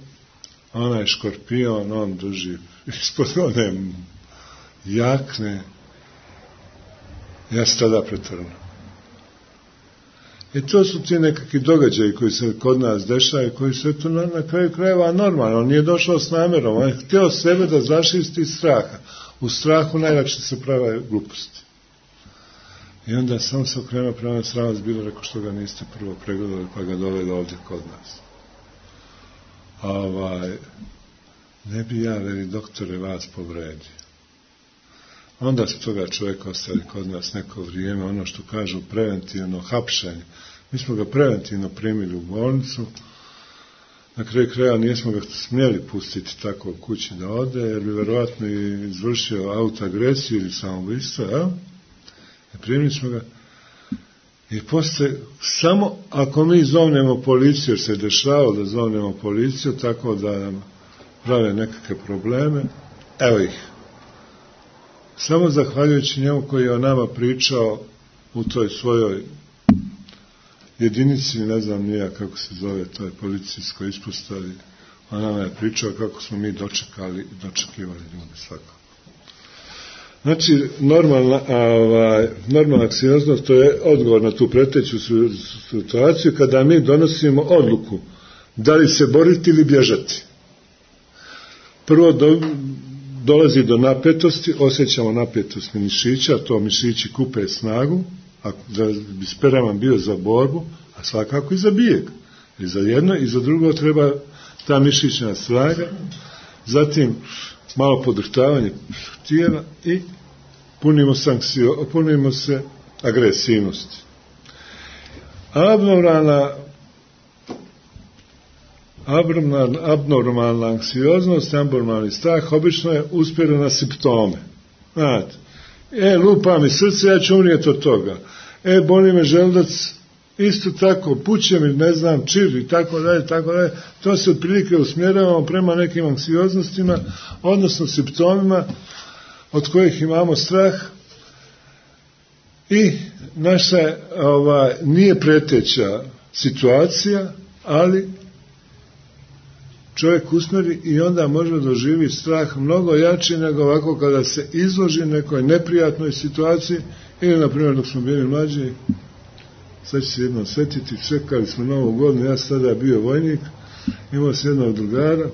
onaj škorpion, on drži ispod one jakne, ja se tada pretrnu. I to su ti nekakvi događaji koji se kod nas dešaju, koji su eto na kraju krajeva normalno. On nije došao s namjerom, on je htio sebe da zaštisti straha. U strahu najlakše se prave gluposti. I onda sam se okrenuo prema sramac, bilo rekao što ga niste prvo pregledali, pa ga doveli ovdje kod nas. Ne bi ja, veli doktore, vas povredio. Onda su toga čovjeka ostali kod nas neko vrijeme, ono što kažu preventivno hapšenje. Mi smo ga preventivno primili u bolnicu, na kraju kraja nismo ga smjeli pustiti tako u kući da ode, jer bi vjerovatno i izvršio autoagresiju ili samoubistvo, ja? Primili smo ga i poslije, samo ako mi zovnemo policiju, jer se dešavalo da zovnemo policiju, tako da nam prave nekakve probleme, evo ih. Samo zahvaljujući njemu koji je o nama pričao u toj svojoj jedinici, ne znam nija kako se zove, toj policijskoj ispostavi, on nama je pričao kako smo mi dočekivali ljude svakako. Znači, normalna anksioznost, to je odgovor na tu preteću situaciju kada mi donosimo odluku da li se boriti ili bježati. Prvo dolazi do napetosti, osjećamo napetost mišića, to mišići kupe snagu, da bi spreman bio za borbu, a svakako i za bijeg. I za jedno i za drugo treba ta mišićna snaga, zatim malo podrhtavanje tijela i punimo se agresivnosti. Abnormalna anksioznost, abnormalni strah obično je uspjeren na simptome. Znate, lupa mi srce, ja ću umrijeti od toga. Boli me želudac, isto tako, puće mi, ne znam, čir i tako dalje, tako dalje. To se otprilike usmjeravamo prema nekim anksioznostima, odnosno simptomima od kojih imamo strah i naša nije preteća situacija, ali čovjek usmjeri i onda može doživjeti strah mnogo jači nego ovako kada se izloži nekoj neprijatnoj situaciji ili, na primjer, dok smo bili mlađi, sad ću se jednom sjetiti, čekali smo Novu godinu, ja sam tada bio vojnik, imao sam jednog drugara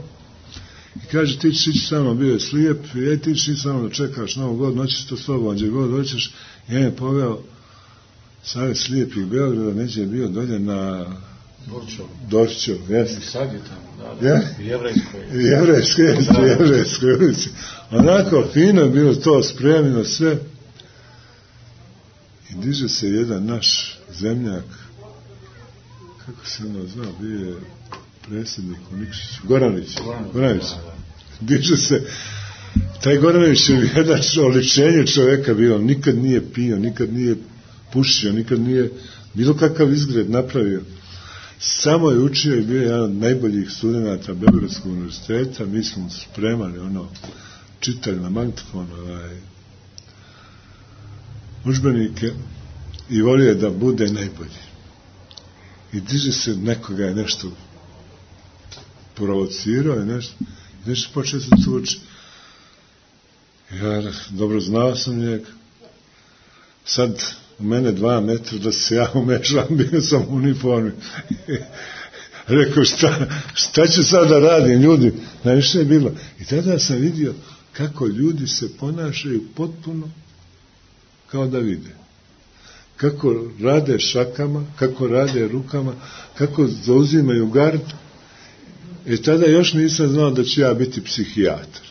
i kaže, ti ćeš ići sa mnom, bio je slijep, ti ćeš ići sa mnom da čekaš Novu godinu, hoćeš to s tobom, gdje god hoćeš, i on je poveo Savez slijepih Beograda, neće je bio dolje na Dorčev, jeste. I sad je tamo, da. Jevrejskoj ulici. Onako fino bilo to spremljeno sve. I diže se jedan naš zemljak, kako se ono znao, bio je predsjednik u Nikšiću, Goranović. Diže se, taj Goranović je jedan oličenje čovjeka bio, nikad nije pio, nikad nije pušio, nikad nije bilo kakav izgled napravio. Samo je učio i bio jedan od najboljih studenata Beogradskog univerziteta, mi smo spremali čitali na magnetofon udžbenike i volio je da bude najbolji. I diže se, nekoga je nešto provocirao i nešto počeo se tući. Ja dobro znao sam njega. Sad u mene 2 metra da se ja umešam, bio sam u uniformi. Rekao, šta ću sad da radim, ljudi? Najviše je bilo. I tada sam vidio kako ljudi se ponašaju potpuno kao da vide. Kako rade šakama, kako rade rukama, kako zauzimaju gard. I tada još nisam znao da ću ja biti psihijatar.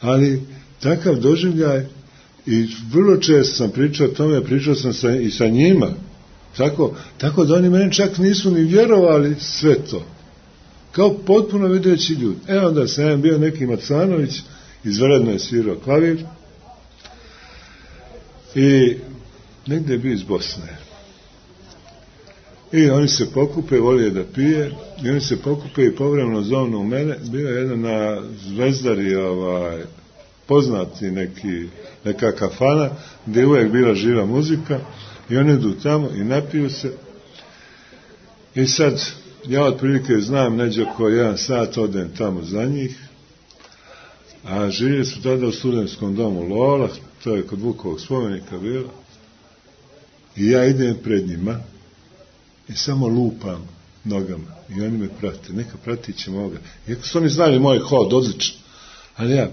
Ali takav doživljaj, i vrlo često sam pričao o tome, pričao sam i sa njima, tako da oni meni čak nisu ni vjerovali sve to. Kao potpuno videći ljudi. Onda sam bio neki Macanović, izvredno je svirao klavir, i negdje je bio iz Bosne. I oni se pokupe, volije da pije, i oni se pokupe i povremeno zovnu mene. Bio je jedan na Zvezdari poznati neka kafana, gdje je uvijek bila živa muzika, i oni idu tamo i napiju se. I sad, ja otprilike znam, neđe oko 1 sat odem tamo za njih, a živjeli su tada u studentskom domu Lola, to je kod Vukovog spomenika bilo, i ja idem pred njima i samo lupam nogama i oni me prate, neka pratit će moga. Iako su oni znali moj hod, odlično, ali ja,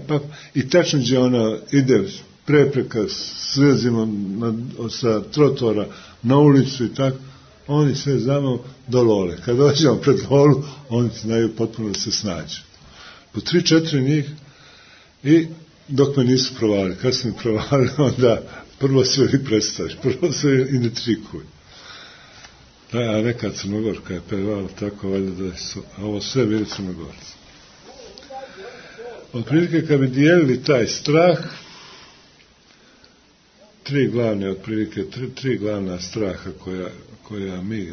i tačno gdje ona ide prepreka, svezimo sa trotora na ulicu i tako, oni sve znamo do Lole. Kad dođemo pred Lolu, oni znaju potpuno da se snađu. Po 3-4 njih, i dok me nisu provalili. Kad su mi provalili, onda prvo sve i predstaviš, prvo sve i ne trikuj. A neka Crnogorka je pevala tako, valjda da su, a ovo sve bili Crnogorci. Otprilike, kad bi dijelili taj strah, tri glavna straha koja mi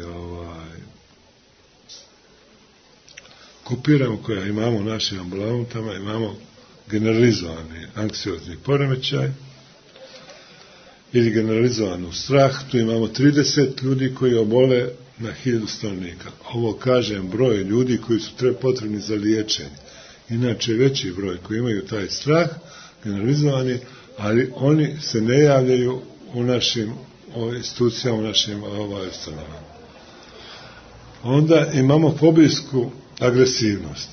kopiramo, koja imamo u našim ambulantama, imamo generalizovani anksiozni poremećaj ili generalizovanu strah. Tu imamo 30 ljudi koji obole na 1000 stanovnika. Ovo kažem broj ljudi koji su potrebni za liječenje. Inače veći broj koji imaju taj strah generalizovani, ali oni se ne javljaju u našim institucijama, u našim ustanovama. Onda imamo fobijsku agresivnost.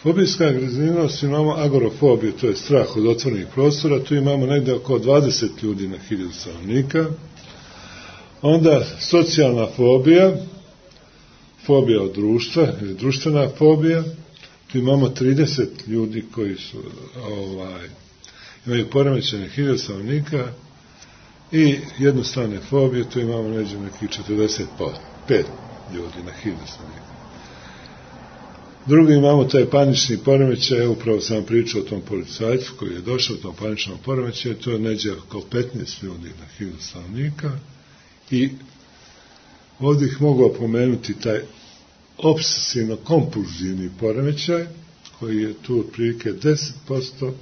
Fobijska agresivnost, imamo agorofobiju, to je strah od otvorenih prostora, tu imamo negdje oko 20 ljudi na 1000 stanovnika. Onda socijalna fobija, fobija od društva, ili društvena fobija, tu imamo 30 ljudi koji su imaju poremećene 1000 stanovnika, i jednostavne fobije, tu imamo nekih 45 ljudi na 1000 stanovnika. Drugi imamo taj panični poremećaj, upravo sam pričao o tom policajcu koji je došao u tom paničnom poremećaju, to je neđe oko 15 ljudi na 1000 stanovnika, i ovdje ih mogu opomenuti taj obsesivno-kompulzivni poremećaj, koji je tu otprilike 10%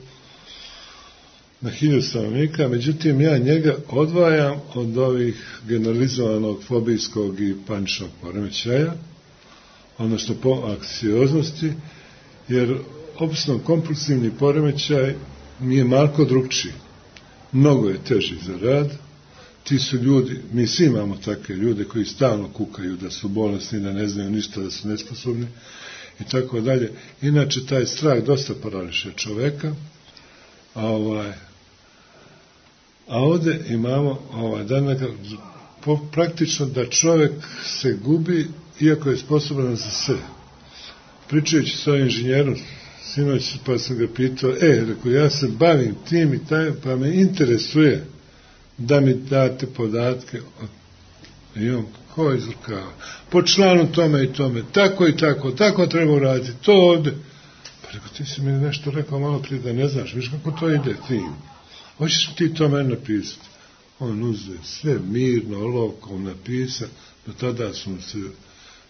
na 1000 stanovnika, međutim ja njega odvajam od ovih generalizovanog fobijskog i paničnog poremećaja, odnosno po anksioznosti, jer obsesivno-kompulsivni poremećaj mi je malko drugčiji. Mnogo je teži za rad. Ti su ljudi, mi svi imamo takve ljude koji stalno kukaju da su bolesni, da ne znaju ništa, da su nesposobni i tako dalje. Inače, taj strah dosta parališe čoveka. A ovdje imamo praktično da čovjek se gubi, iako je sposoban za sve. Pričajući s ovim inženjerom sinoć, pa sam ga pitao, rekao, ja se bavim tim i taj, pa me interesuje da mi date podatke. I on, ko izvrkava? Po članu tome i tome, tako i tako, tako treba uraditi, to ovdje. Pa rekao, ti si mi nešto rekao malo prije da ne znaš, viš kako to ide tim. Hoćeš ti to meni napisati? On uzeo sve mirno, olovkom napisao, do tada su mu se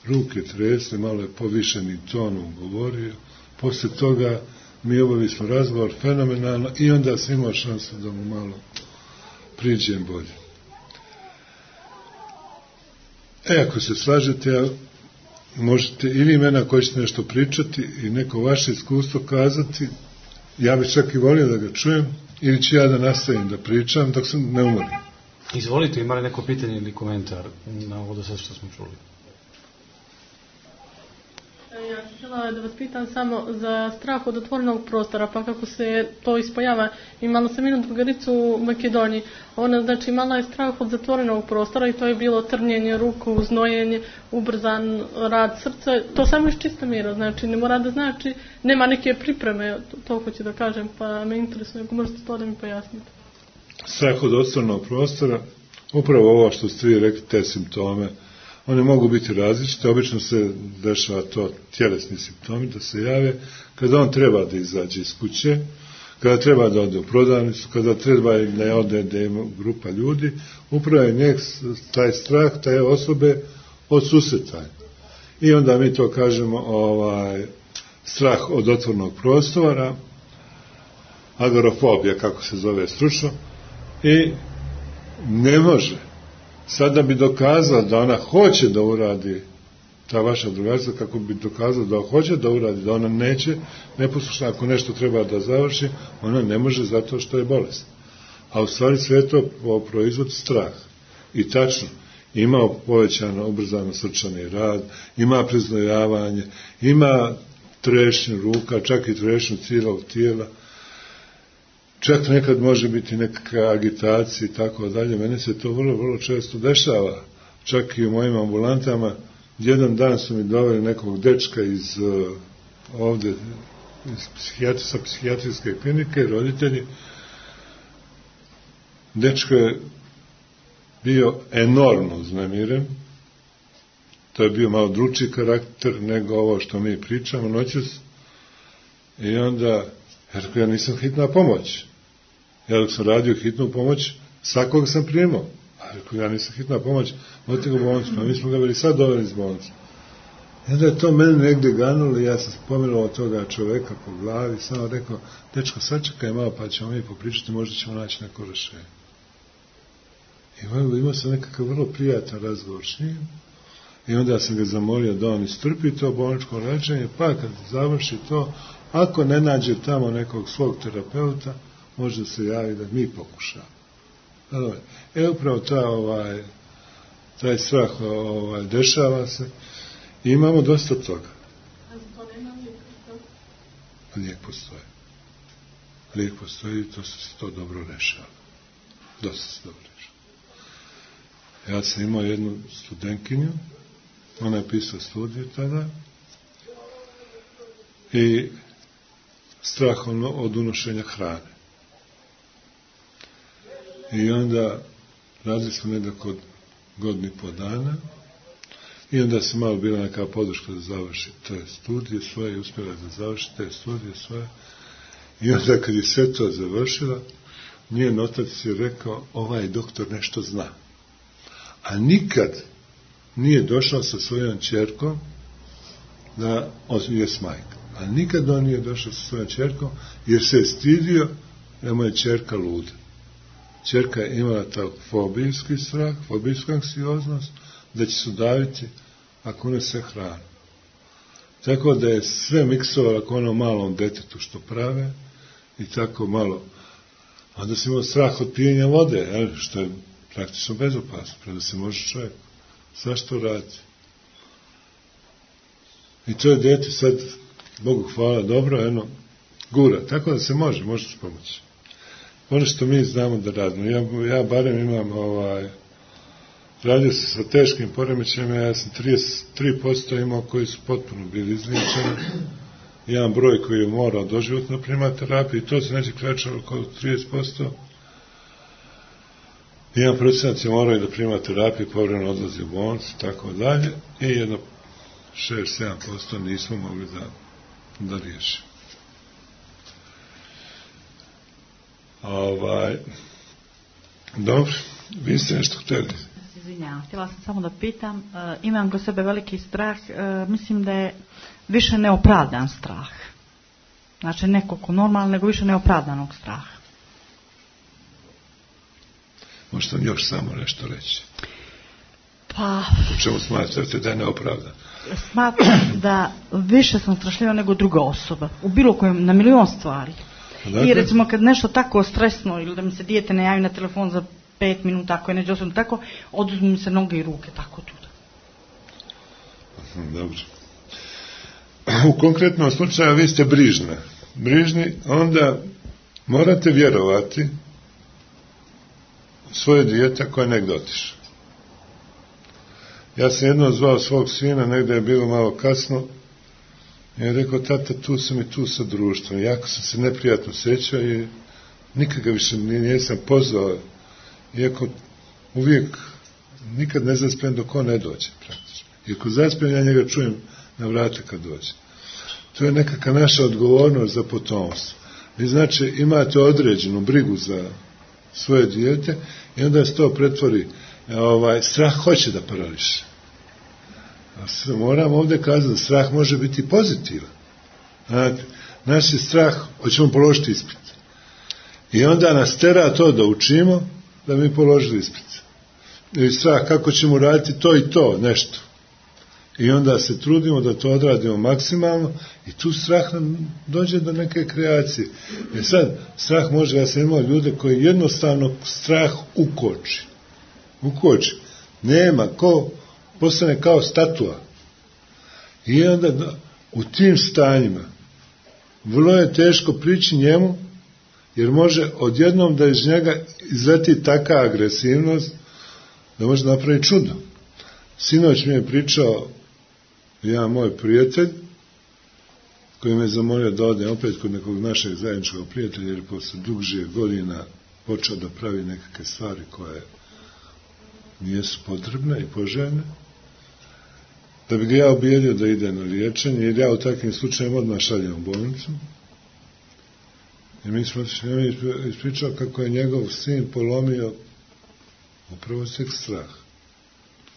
ruke tresle, malo je povišenim tonom govorio. Poslije toga mi obavili smo razgovor fenomenalno i onda sam imao šansu da mu malo priđem bolje. Ako se slažete, možete i vi mene ako ćete nešto pričati i neko vaše iskustvo kazati, ja bih čak i volio da ga čujem, ili ću ja da nastavim da pričam dok se ne umorim. Izvolite, imali neko pitanje ili komentar na ovo do sad što smo čuli? Ja sam htjela da vas pitam samo za strah od otvorenog prostora, pa kako se to ispojava. Imala sam jednu drugaricu u Makedoniji, ona znači imala je strah od zatvorenog prostora i to je bilo trnjenje ruku, znojenje, ubrzan rad srca, to samo iz čista mira, znači ne mora da znači, nema neke pripreme, to hoću da kažem, pa me interesuje, ako možete to da mi pojasnite. Strah od otvorenog prostora, upravo ovo što ste vi rekli, te simptome, one mogu biti različite, obično se dešava to tjelesni simptomi da se jave kada on treba da izađe iz kuće, kada treba da ode u prodavnicu, kada treba da ode da ima grupa ljudi, upravo je taj strah, taj osobe od susretanja. I onda mi to kažemo strah od otvornog prostora, agorafobija, kako se zove stručno, i ne može. Sada bi dokazala da ona hoće da uradi, ta vaša drugarica, kako bi dokazala da hoće da uradi, da ona neće neposlušna, ako nešto treba da završi, ona ne može zato što je bolest. A u stvari sve to proizvod strah. I tačno, ima povećano, ubrzano srčani rad, ima preznojavanje, ima trešnju ruka, čak i trešnju cijelog tijela, čak nekad može biti nekakva agitacija i tako dalje. Mene se to vrlo, vrlo često dešava. Čak i u mojim ambulantama. Jedan dan su mi doveli nekog dečka iz ovde, sa psihijatrijske klinike, roditelji. Dečko je bio enormno uznemiren. To je bio malo drugčiji karakter nego ovo što mi pričamo noćas. I onda, ja nisam hitna pomoć. Ja dok sam radio hitnu pomoć, svakog sam primao. A ja nisam hitna pomoć, odite ga u bolnicu, pa mi smo ga bili sad doveli iz bolnice. I onda je to mene negdje ganulo i ja sam spomenuo toga čoveka po glavi, samo rekao, dečko, sačekaj malo pa ćemo mi popričati, možda ćemo naći neko rešenje. I imao sam nekakav vrlo prijatan razgovor s njim i onda sam ga zamolio da on istrpi to bolničko lečenje, pa kad završi to, ako ne nađe tamo nekog svog terapeuta, može se javi da mi pokušamo. Upravo taj strah dešava se i imamo dosta toga. Lijek postoji. Lijek postoji i to dobro rešava. Dosta se dobro rešava. Ja sam imao jednu studentkinju, ona je pisala studiju tada i strah od unošenja hrane. I onda radili smo nekako godinu i po dana i onda se malo bila neka podrška da završi te studije svoje i uspjela da završi te studije svoje. I onda kad je sve to završila, njen otac je rekao, ovaj doktor nešto zna. A nikad nije došao sa svojom ćerkom da je s majka. A nikad on nije došao sa svojom ćerkom jer se je stidio da mu je ćerka luda. Ćerka je imala taj fobijski strah, fobijsku anksioznost, da će se udaviti ako unese hranu. Tako da je sve miksovala ako ono malom detetu što prave i tako malo. Onda se imao strah od pijenja vode, što je praktično bezopasno, preda se može čovjek svašta raditi. I to je dete sad, Bogu hvala, dobro, gura. Tako da se može se pomoći. Ono što mi znamo da radimo, ja barem imam radio se sa teškim poremećajima, ja sam 33% imao koji su potpuno bili izliječeni, jedan broj koji je morao doživotno primati terapiju i to se neće krećalo oko 30%, 1% je morao da prima terapiju, povremeno odlazi u bolnicu, tako dalje, i jedno 6-7% nismo mogli da riješimo. Dobro, vi ste nešto htjeli? Izvinjavam, htjela sam samo da pitam, imam kod sebe veliki strah, mislim da je više neopravdan strah. Znači nekako normalno, nego više neopravdanog straha. Možete još samo nešto reći? Pa... U čemu smatrate da je neopravdan? Smatram da više sam strašljiva nego druga osoba. U bilo kojem, na milion stvari. I recimo kad nešto tako stresno ili da mi se dijete ne javi na telefon za 5 minuta, ako je neđe osobno tako, oduzmu mi se noge i ruke, tako tuda. Dobro. U konkretnom slučaju vi ste brižni, onda morate vjerovati svoje dijete koje je negdje otišao. Ja sam jednom zvao svog sina, negdje je bilo malo kasno, i je rekao, tata, tu sam i tu sa društvom. Jako sam se neprijatno sjećao i nikad ga više nisam pozvao. Iako uvijek nikad ne zaspem dok on ne dođe, praktično. I ako zaspem, ja njega čujem na vrate kad dođe. To je nekakva naša odgovornost za potomstvo. Vi znači imate određenu brigu za svoje dijete i onda se to pretvori, strah hoće da parališe. Moram ovdje kazati da strah može biti pozitivan. Znate, naš je strah, hoćemo položiti ispit. I onda nas tera to da učimo, da mi položili ispit. I strah kako ćemo raditi to i to, nešto. I onda se trudimo da to odradimo maksimalno i tu strah nam dođe do neke kreacije. Sad, strah može, ja sam imao ljude koji jednostavno strah ukoči. Nema, postane kao statua. I onda u tim stanjima vrlo je teško prići njemu, jer može odjednom da iz njega izleti taka agresivnost da može napraviti čudo. Sinoć mi je pričao jedan moj prijatelj koji me zamolio da odem opet kod nekog našeg zajedničkog prijatelja, jer posle duže godina počeo da pravi nekakve stvari koje nijesu potrebne i poželjne, da bi ga ja ubijedio da ide na liječenje, jer ja u takvim slučajima odmah šaljem u bolnicu. I mi smo ispričao kako je njegov sin polomio upravo sveg strah.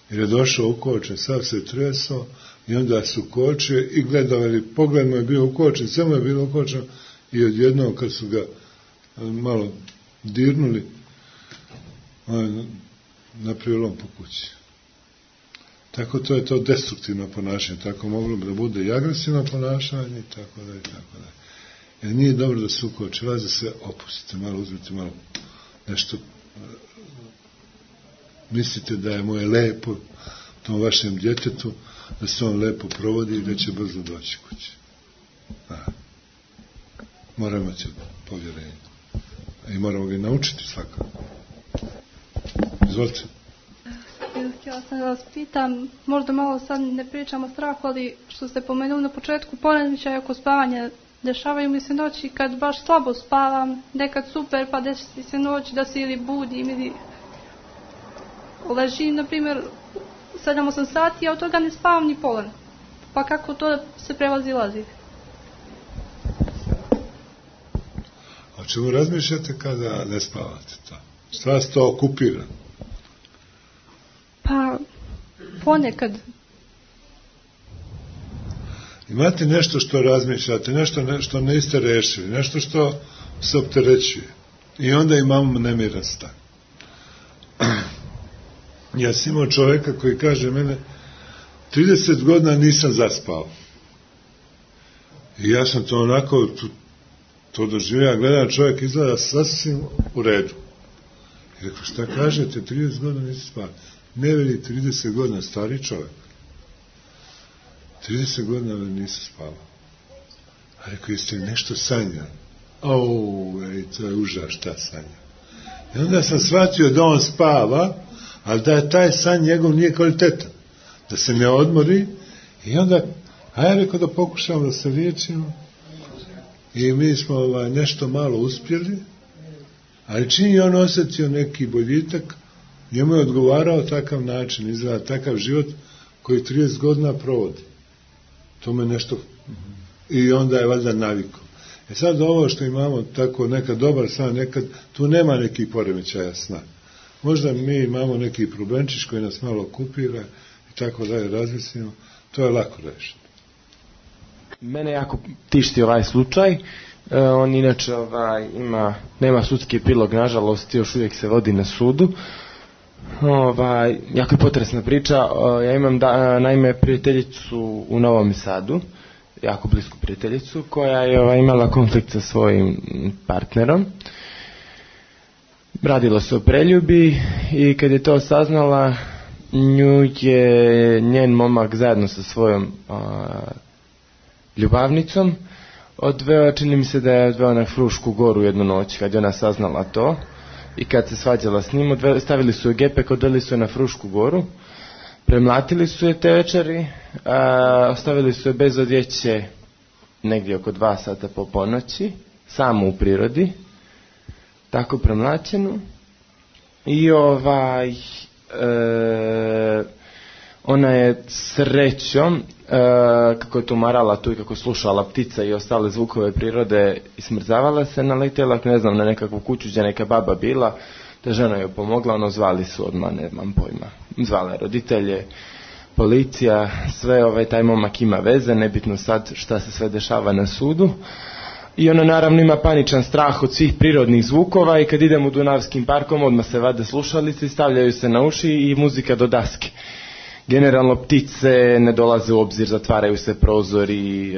Jer je došao ukočen, sav se tresao i onda su kočio i gledao, pogled mu je bio ukočen, sve mu je bilo ukočeno i odjednom kad su ga malo dirnuli, napravio lom po kući. Tako to je to destruktivno ponašanje, tako moglo bi da bude i agresivno ponašanje i tako da i tako da. Jer nije dobro da se ukoči, vas da se opustite, malo uzmite, malo nešto mislite da je moje lepo tom vašem djetetu, da se on lepo provodi i da će brzo doći kući. Moramo imati povjerenje. I moramo ga naučiti svakako. Izvolite. Htjela sam da vas pitam, možda malo sad ne pričamo o strahu, ali što ste pomenuli na početku, poremećaj oko spavanja, dešavaju mi se noći kad baš slabo spavam, nekad super, pa desi se noć da se ili budim ili ležim, na primjer, 7-8 sati, a od toga ne spavam ni pola. Pa kako to se prevazilazi? O čemu razmišljate kada ne spavate to? Šta vas to okupira? Pa, ponekad. Imate nešto što razmišljate, nešto što niste rešili, nešto što se opterećuje. I onda imamo nemiran stan. Ja sam imao čovjeka koji kaže mene 30 godina nisam zaspao. I ja sam to onako to doživio, gledam čovjek izgleda sasvim u redu. I rekao, šta kažete, 30 godina nisam spao? Ne veli 30 godina stari čovjek. 30 godina nisam spao. A rekao, jeste li nešto sanjali? To je užas, šta sanja. I onda sam shvatio da on spava, ali da taj san njegov nije kvalitetan. Da se ne odmori. I onda, ja rekao da pokušamo da se liječimo. I mi smo nešto malo uspjeli, ali čim je on osjetio neki boljitak, njemu je odgovarao takav način, izgleda takav život koji 30 godina provodi. To me nešto... I onda je valjda navikao. Sad ovo što imamo tako nekad dobar san, nekad tu nema nekih poremećaja sna. Možda mi imamo neki problemčić koji nas malo okupira i tako da je razmislimo, to je lako rešiti. Mene jako tišti ovaj slučaj. On inače nema sudski epilog, nažalost, još uvijek se vodi na sudu. Jako je potresna priča. Ja imam naime prijateljicu u Novom Sadu, jako blisku prijateljicu, koja je imala konflikt sa svojim partnerom. Radilo se o preljubi i kad je to saznala, nju je njen momak zajedno sa svojom ljubavnicom odveo, čini mi se da je odveo na Frušku goru jednu noć kad je ona saznala to i kad se svađala s njim, stavili su je gepek, odveli su je na Frušku goru, premlatili su je te večeri, ostavili su je bez odjeće negdje oko 2 sata po ponoći, samo u prirodi, tako premlaćenu. I ona je srećom, kako je tumarala tu i kako je slušala ptica i ostale zvukove prirode i smrzavala se, naletjela, ne znam, na nekakvu kuću gdje neka baba bila, ta žena joj pomogla, zvali su odmah, nemam pojma, zvala roditelje, policija, sve taj momak ima veze, nebitno sad šta se sve dešava na sudu. I ona naravno ima paničan strah od svih prirodnih zvukova i kad idemo u Dunavskim parkom odmah se vade slušalice, stavljaju se na uši i muzika do daske. Generalno ptice ne dolaze u obzir, zatvaraju se prozori,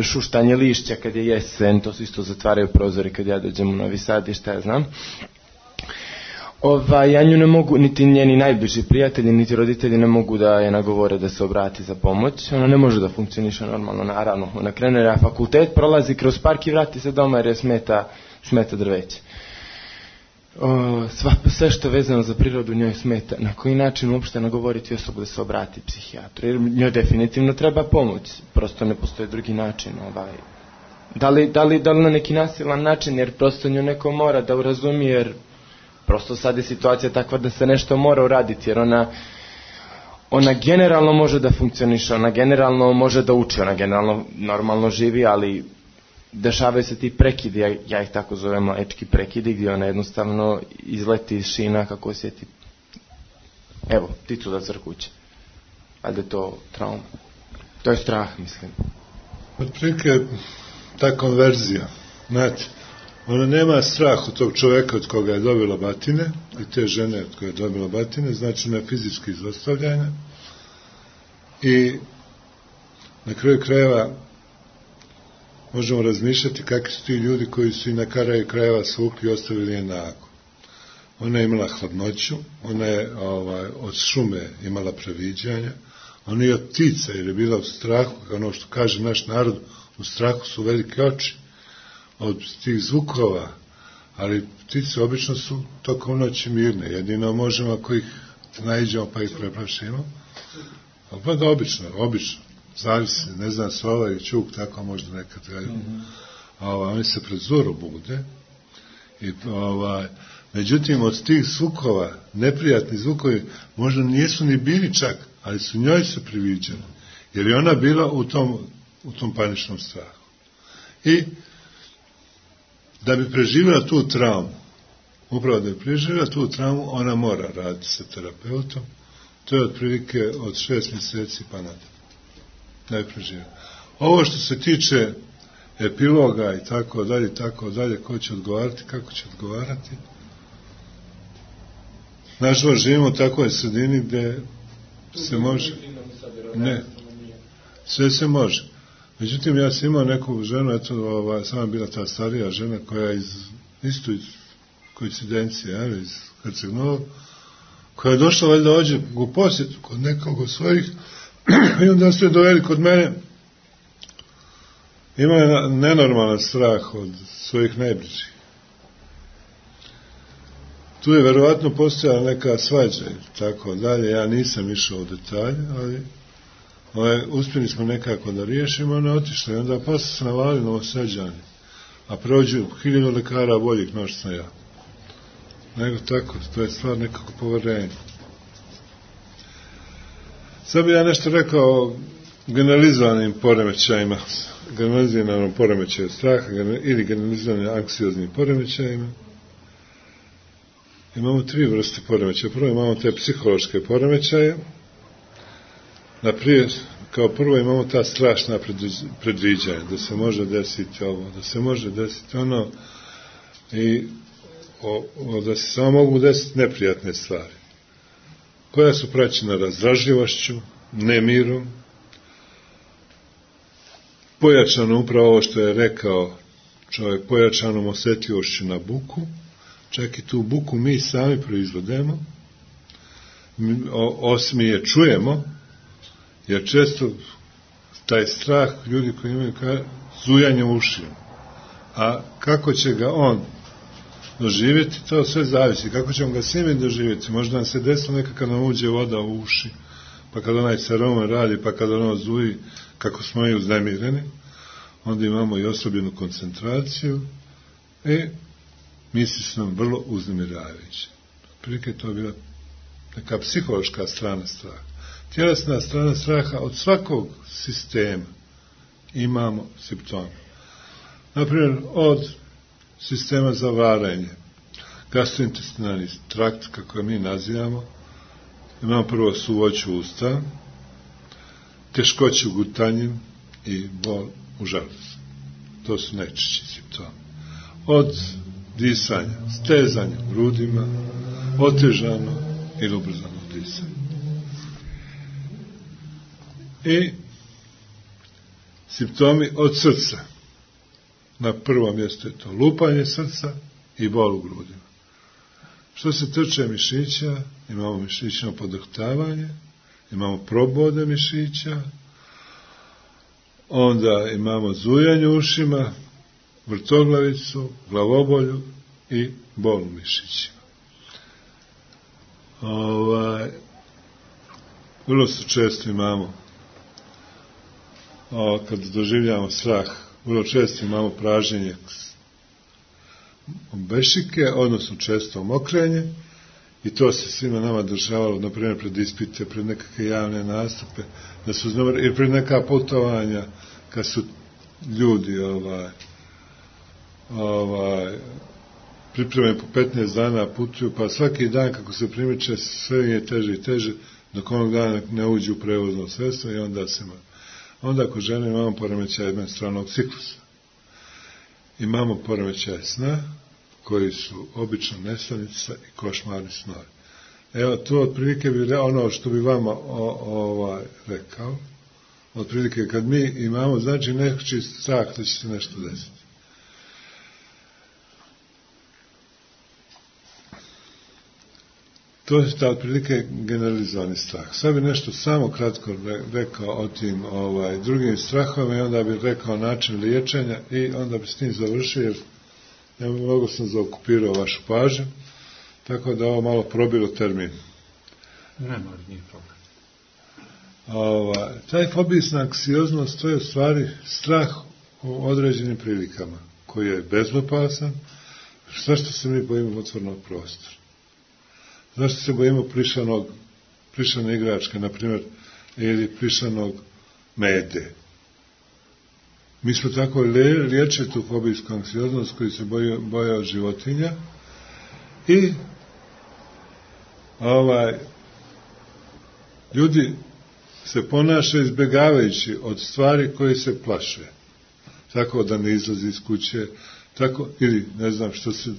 šuštanje lišća kad je jesen, to se isto zatvaraju prozori kad ja dođem u Novi Sad i šta ja znam. Ja nju ne mogu, niti njeni najbliži prijatelji, niti roditelji ne mogu da je nagovore da se obrati za pomoć. Ona ne može da funkcioniše normalno, naravno. Ona krene na fakultet, prolazi kroz park i vrati se doma jer je smeta drveće. Sve što je vezano za prirodu njoj smeta. Na koji način uopšte nagovoriti osobu da se obrati psihijatru? Jer njoj definitivno treba pomoć. Prosto ne postoji drugi način. Da li na neki nasilan način, jer prosto nju neko mora da urazumije, jer prosto sad je situacija takva da se nešto mora uraditi, jer ona generalno može da funkcioniše, ona generalno može da uči, ona generalno normalno živi, ali dešavaju se ti prekidi, ja ih tako zovem mlečki prekidi, gdje ona jednostavno izleti iz šina kako osjeti, evo, pticu da crkuće. Ali je to trauma. To je strah, mislim. Otprilike ta konverzija, znate, ona nema strah od tog čoveka od koga je dobila batine i te žene od koje je dobila batine, znači ona je fizički izostavljena i na kraju krajeva možemo razmišljati kakvi su ti ljudi koji su i na kraju krajeva svukli i ostavili je nago. Ona je imala hladnoću, ona je od šume imala previđanja, ona je od ptica jer je bila u strahu, ono što kaže naš narod, u strahu su velike oči od tih zvukova, ali ptice obično su tokom noći mirne, jedino možemo ako ih naiđemo pa ih preplašimo, pa da obično, zavisi, ne znam, sova i čuk, tako možda nekad gaju. Oni se pred zoru bude i međutim od tih zvukova, neprijatni zvukovi, možda nisu ni bili čak, ali su njoj se priviđali, jer je ona bila u tom paničnom strahu. I da bi preživjela tu traumu, upravo da bi preživjela tu traumu, ona mora raditi sa terapeutom. To je otprilike od 6 mjeseci pa nadalje. Da bi preživjela. Ovo što se tiče epiloga i tako dalje, ko će odgovarati, kako će odgovarati. Nažalost, živimo u takvoj sredini gdje se može. Ne, sve se može. Međutim, ja sam imao neku ženu, sama bila ta starija žena koja isto iz koincidencije, iz Herceg Novog, koja je došla valjda ođe u posjetu kod nekog od svojih i onda su je doveli kod mene. Ima je nenormalan strah od svojih najbližih. Tu je verovatno postojala neka svađa i tako dalje, ja nisam išao u detalje, ali uspjeli smo nekako da riješimo, ona je otišla i onda posle se navali Novosađani, a prođu 1000 lekara boljih no što sam ja. Nego tako, to je stvar nekako poverenja. Sad bi ja nešto rekao o generalizovanim poremećajima, generaliziranom poremećaju straha ili generalizovanim anksioznim poremećajima. Imamo 3 vrste poremećaja. Prvo imamo te psihološke poremećaje. Naprijed, kao prvo imamo ta strašna predviđanja, da se može desiti ovo, da se može desiti ono i da se samo mogu desiti neprijatne stvari, koja su praćena razdražljivošću, nemirom, pojačano upravo ovo što je rekao čovjek, pojačanom osjetljivošću na buku, čak i tu buku mi sami proizvodemo, osim je čujemo, jer često taj strah ljudi koji imaju zujanje u ušima, a kako će ga on doživjeti, to sve zavisi, kako ćemo ga sami doživjeti, možda nam se desilo nekako kad nam uđe voda u uši, pa kad onaj seroman radi, pa kad ono zuji, kako smo i uznemireni, onda imamo i osobljenu koncentraciju i misli su nam vrlo uznemiravajuće. Prilike to je bila neka psihološka strana straha. Tjelesna strana straha, od svakog sistema imamo simptome. Naprimjer, od sistema za varanje, gastrointestinalni trakt, kako mi nazivamo, imamo prvo suvoću usta, teškoću u gutanju i bol u želucu. To su najčešći simptomi. Od disanja, stezanja u grudima, otežano ili ubrzano disanje. I simptomi od srca. Na prvom mjestu je to lupanje srca i bol u grudima. Što se tiče mišića, imamo mišićno podrhtavanje, imamo probode mišića, onda imamo zujanje u ušima, vrtoglavicu, glavobolju i bol u mišićima. Vrlo se često imamo, kad doživljamo strah, vrlo često imamo praženje bešike, odnosno često mokrenje, i to se svima nama dešavalo, na primjer pred ispite, pred nekakve javne nastupe, da su i pred neka putovanja, kad su ljudi pripremeni po 15 dana putuju, pa svaki dan kako se primiče sve je teže i teže, dok onog dana ne uđu u prevozno sredstvo i onda kod žene imamo poremećaj menstrualnog ciklusa. Imamo poremećaj sna, koji su obično nesanica i košmarni snovi. Evo, to otprilike bi ono što bi vama rekao, otprilike kad mi imamo, znači neki strah da će se nešto desiti. To je ta otprilike generalizovani strah. Sad bi nešto samo kratko rekao o tim drugim strahovima i onda bi rekao način liječenja i onda bi s tim završio, jer mnogo sam zaokupirao vašu pažnju, tako da ovo malo probilo termin. Nema, nije problem. Taj fobijsna anksioznost, to je u stvari strah u određenim prilikama, koji je bezopasan. Zašto se mi bojimo otvorenog prostora? Zašto se bojimo plišane igračke, na primjer, ili plišanog mede? Mi smo tako liječili tu fobijsku anksioznost koji se boja od životinja i ljudi se ponašaju izbjegavajući od stvari koje se plaše. Tako da ne izlazi iz kuće, tako, ili ne znam što se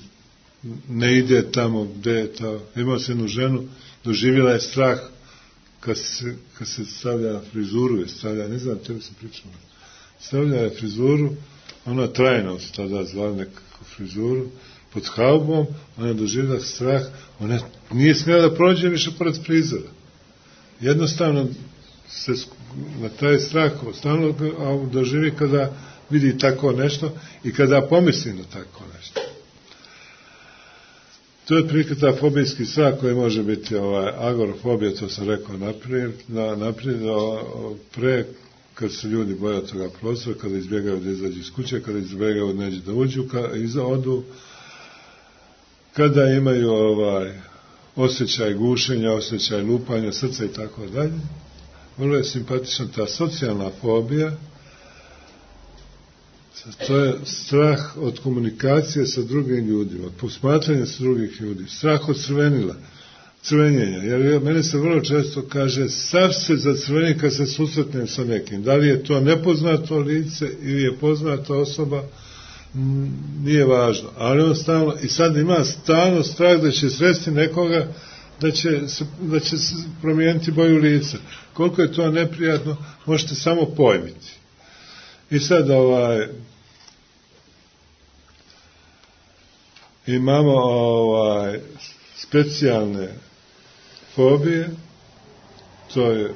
ne ide tamo gde je to. Imao se jednu ženu, doživjela je strah kad se stavlja frizuru, ne znam, tebi se pričamo. Stavlja je frizuru, ona trajno se tada zvala nekakvu frizuru, pod haubom, ona je doživjela strah, ona nije smjela da prođe više pored frizora. Jednostavno se na taj strah stalno doživi kada vidi tako nešto i kada pomisli na tako nešto. To je otprilike ta fobijski strah koji može biti agorafobija, to sam rekao naprijed, kad se ljudi boje od toga prostora, kada izbjegaju da izađu iz kuće, kada izbjegaju da neđe da uđu, odu, kada imaju osjećaj gušenja, osjećaj lupanja srca i tako dalje. Vrlo je simpatična ta socijalna fobija. To je strah od komunikacije sa drugim ljudima, od posmatranja sa drugih ljudi, strah od crvenjenja, jer mene se vrlo često kaže sav se zacrveni kad se susretnem sa nekim, da li je to nepoznato lice ili je poznata osoba, nije važno, ali on stalno, i sad ima stalno strah da će sresti nekoga, da će se promijeniti boju lica. Koliko je to neprijatno, možete samo pojmiti. I sad imamo specijalne fobije, to je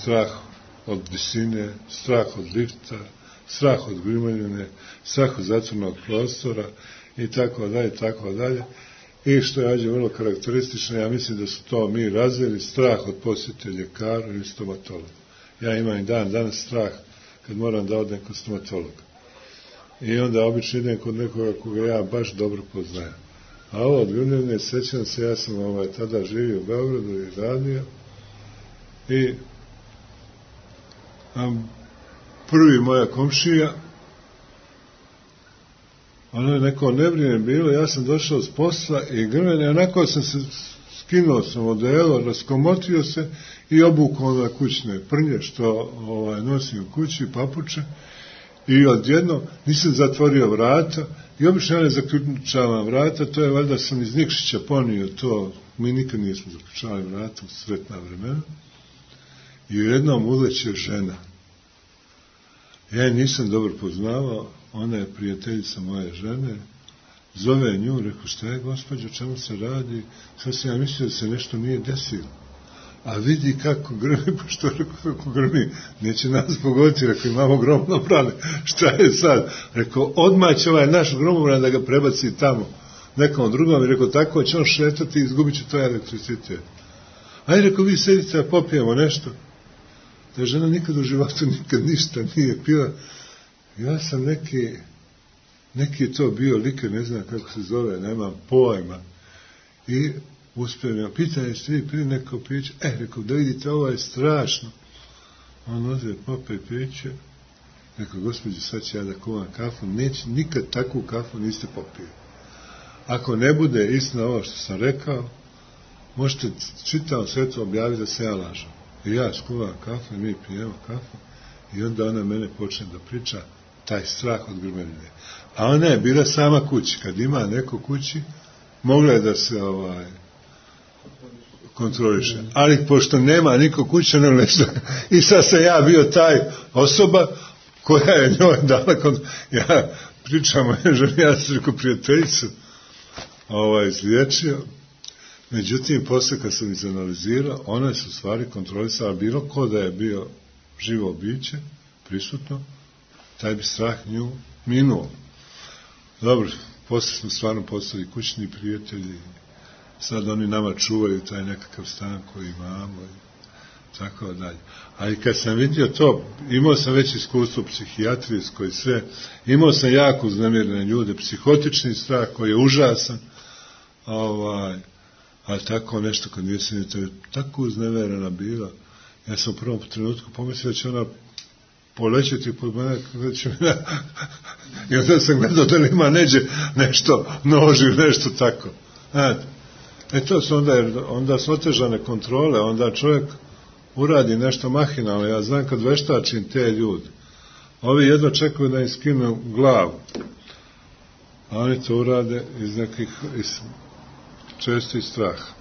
strah od visine, strah od lifta, strah od grimoljine, strah od zatvornog prostora i tako dalje, tako dalje. I što je vrlo karakteristično, ja mislim da su to mi razvili, strah od posjete ljekara ili stomatologa. Ja imam i danas strah kad moram da odem kod stomatologa. I onda obično idem kod nekoga koga ja baš dobro poznajem. A ovo od grmljene, sećam se, ja sam tada živio u Beogradu i radio i prvi moja komšija, ono je neko nevrijeme bilo, ja sam došao s posla i grmljene, onako sam se skinuo sam odelo, raskomotio se i obukao na kućne prnje što nosim u kući, papuče, i odjedno nisam zatvorio vrata i obično ja ne zaključavam vrata, to je valjda sam iz Nikšića ponio to, mi nikad nismo zaključavali vrata u sretna vremena, i jednom uleće žena. Ja je nisam dobro poznavao, ona je prijateljica moje žene, zove nju, rekao, šta je gospođo, čemu se radi? Sad sam ja mislio da se nešto nije desilo. A vidi kako grmi, pa što rekao, kako grmi, neće nas pogoditi, rekao, imamo gromobrane, šta je sad? Rekao, odmah će ovaj naš gromobran da ga prebaci tamo, nekom drugom, i rekao, tako će on šetati i izgubit će to elektricitet. Ajde, rekao, vi sedite, da popijemo nešto. Ta žena nikad u životu nikad ništa nije pila. Ja sam neki to bio liker, ne znam kako se zove, nemam pojma. I uspijem ja, pitanje ste vi pili neko piće? Rekao, da vidite, ovo je strašno. On ode, popaj piće. Rekao, gospođo, sad će ja da kuvam kafu. Neće, nikad takvu kafu niste popili. Ako ne bude istina ovo što sam rekao, možete čitavom svetu objaviti da se ja lažem. I ja skuvam kafu i mi pijemo kafu i onda ona mene počne da priča taj strah od grmeljine. A ona je bila sama kući. Kad ima neko kući, mogla je da se kontroliše. Ali pošto nema niko kuće, ne nešto. I sad sam ja bio taj osoba koja je njoj dala ja pričam o ženi, ja sam rekao prijateljicu izliječio. Međutim, posle kad sam izanalizirao, ona se u stvari kontrolisala, bilo ko da je bio živo biće, prisutno, taj bi strah nju minuo. Dobro, posle smo stvarno postali kućni prijatelji, sad oni nama čuvaju taj nekakav stan koji imamo i tako dalje. Ali kad sam vidio to, imao sam već iskustvo psihijatrijsko i sve, imao sam jako uznemirene ljude, psihotični strah koji je užasan, ali tako nešto kad nisam tako uzneverena bila, ja sam u prvom trenutku pomislio da će ona polećeti pod mene, da će me i onda sam gledao da li ima neđe nešto, noži, nešto tako. To su onda su otežane kontrole, onda čovjek uradi nešto mahinalno. Ja znam kad veštačim te ljudi, ovi jedno čekaju da im skinu glavu, a oni to urade iz nekih česti straha.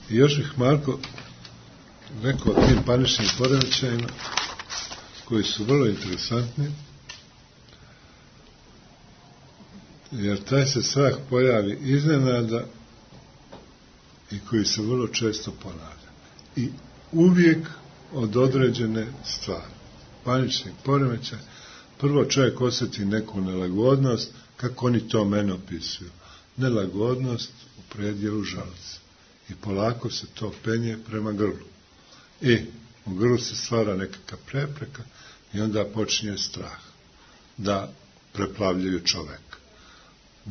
I još bih, Marko, rekao o tim paničnim poremećajima koji su vrlo interesantni, jer taj se strah pojavi iznenada i koji se vrlo često ponavlja. I uvijek od određene stvari. Panični poremećaj, prvo čovjek osjeti neku nelagodnost, kako oni to mene opisuju. Nelagodnost u predjelu želuca. I polako se to penje prema grlu. I u grlu se stvara nekakva prepreka i onda počinje strah da preplavljaju čovjeka.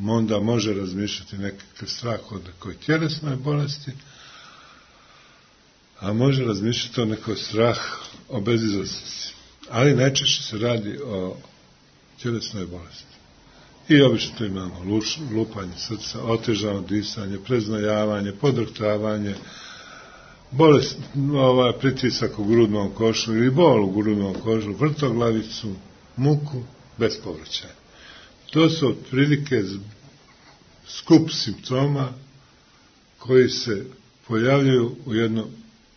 Onda može razmišljati nekakav strah od nekoj tjelesnoj bolesti, a može razmišljati o nekoj strah o bezizlaznosti. Ali najčešće se radi o tjelesnoj bolesti. I obično tu imamo lupanje srca, otežano disanje, preznojavanje, podrhtavanje, bolest, pritisak u grudnom košlu ili bol u grudnom košlu, vrtoglavicu, muku, bez povraćaja. To su otprilike skup simptoma koji se pojavljaju u jedno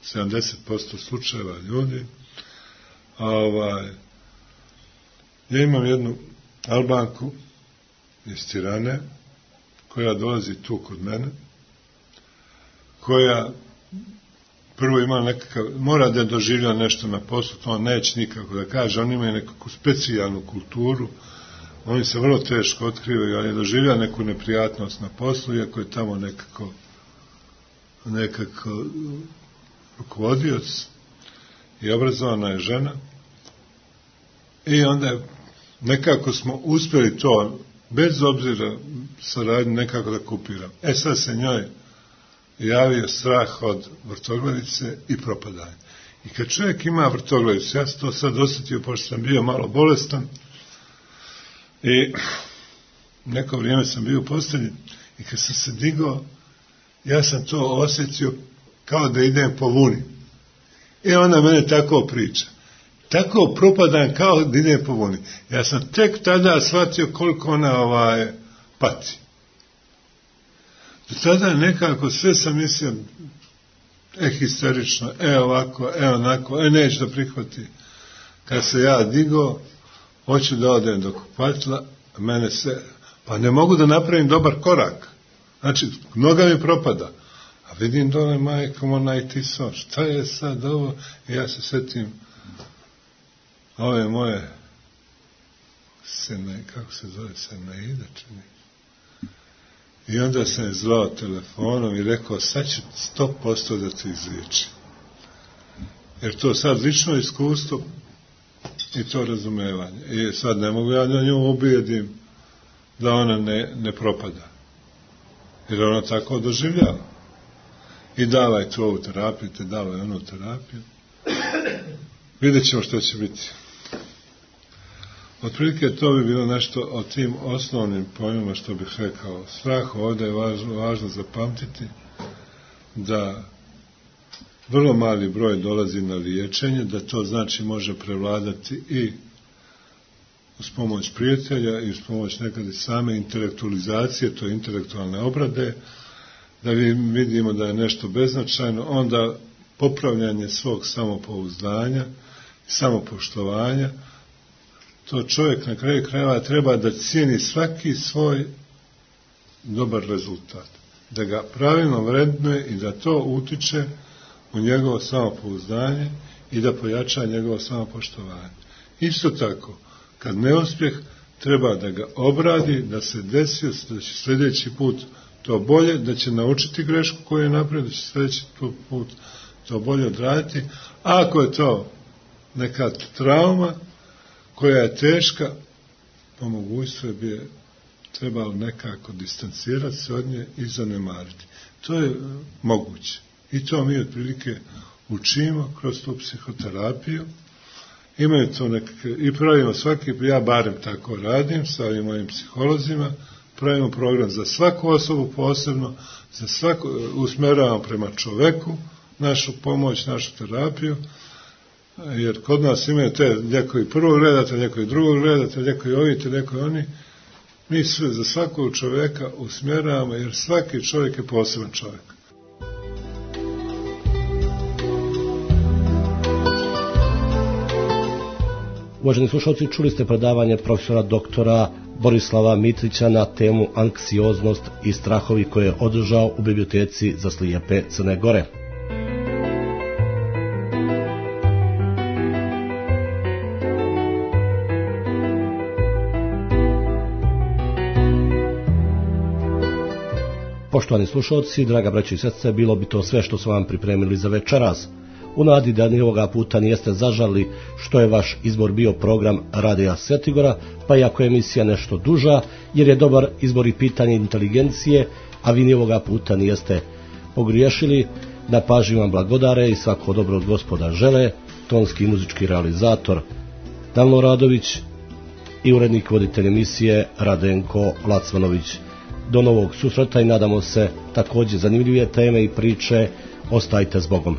70% slučajeva ljudi. Ja imam jednu Albanku iz Tirane, koja dolazi tu kod mene, koja prvo ima nekakav, mora da doživlja nešto na poslu, to on neće nikako da kaže, oni imaju nekakvu specijalnu kulturu, oni se vrlo teško otkrivaju, ali je doživlja neku neprijatnost na poslu, iako je tamo nekako rukovodioc i obrazovana je žena, i onda nekako smo uspjeli to, bez obzira saradnju, nekako da kupiram. Sad se njoj javio strah od vrtoglavice i propadanja. I kad čovjek ima vrtoglavicu, ja sam to sad osjetio, pošto sam bio malo bolestan, I neko vrijeme sam bio u postelji i kad sam se digao, ja sam to osjetio kao da idem po vuni. I ona mene tako priča. Tako propadam kao da idem po vuni. Ja sam tek tada shvatio koliko ona pati. Do tada nekako sve sam mislio histerično, ovako, onako, neću da prihvati. Kad se ja digao, hoću da odem do kupatila, mene se, pa ne mogu da napravim dobar korak. Znači, noga mi propada. A vidim dole, majkom, onaj tiso, šta je sad ovo? I ja se sjetim ove moje kako se zove, Senaida, čini. I onda sam je zvao telefonom i rekao, sad ću 100% da te izliječim. Jer to sad lično iskustvo i to razumevanje. I sad ne mogu ja na nju ubijedim da ona ne propada. Jer ona tako doživljava. I davaj tu ovu terapiju, te davaj onu terapiju. Vidjet ćemo što će biti. Otprilike to bi bilo nešto o tim osnovnim pojmima što bih rekao. Strah ovdje je važno zapamtiti da vrlo mali broj dolazi na liječenje, da to znači može prevladati i uz pomoć prijatelja i uz pomoć nekad i same intelektualizacije, to je intelektualne obrade, da vidimo da je nešto beznačajno, onda popravljanje svog samopouzdanja, samopoštovanja, to čovjek na kraju krajeva treba da cijeni svaki svoj dobar rezultat, da ga pravilno vrednuje i da to utiče u njegovo samopouzdanje i da pojača njegovo samopoštovanje. Isto tako, kad neuspjeh, treba da ga obradi, da se desio, da će sljedeći put to bolje, da će naučiti grešku koju je napravio, da će sljedeći put to bolje odraditi. A ako je to neka trauma koja je teška, po mogućstvu bi trebalo nekako distancirati se od nje i zanemariti. To je moguće. I to mi otprilike učimo kroz tu psihoterapiju. Imaju to nekakve, i pravimo svaki, ja barem tako radim sa ovim mojim psiholozima, pravimo program za svaku osobu posebno, za svaku, usmjeravamo prema čoveku našu pomoć, našu terapiju, jer kod nas imaju te lijekovi prvog reda, te lijekovi drugog reda, te lijekovi ovi, te lijekovi oni. Mi sve za svakog čovjeka usmjeravamo, jer svaki čovjek je poseban čovjek. Uvaženi slušalci, čuli ste predavanje profesora doktora Borislava Mitrića na temu anksioznost i strahovi koje je održao u biblioteci za slijepe Crne Gore. Poštovani slušalci, draga braćo i sestre, bilo bi to sve što smo vam pripremili za večeras. U nadi da ni ovoga puta nijeste zažali što je vaš izbor bio program Radija Svetigora, pa iako je emisija nešto duža, jer je dobar izbor i pitanje inteligencije, a vi ni ovoga puta nijeste pogriješili, na pažnji vam blagodare i svako dobro od Gospoda žele, tonski i muzički realizator Danilo Radović i urednik voditelj emisije Radenko Lacmanović. Do novog susreta i nadamo se također zanimljive teme i priče. Ostajte s Bogom.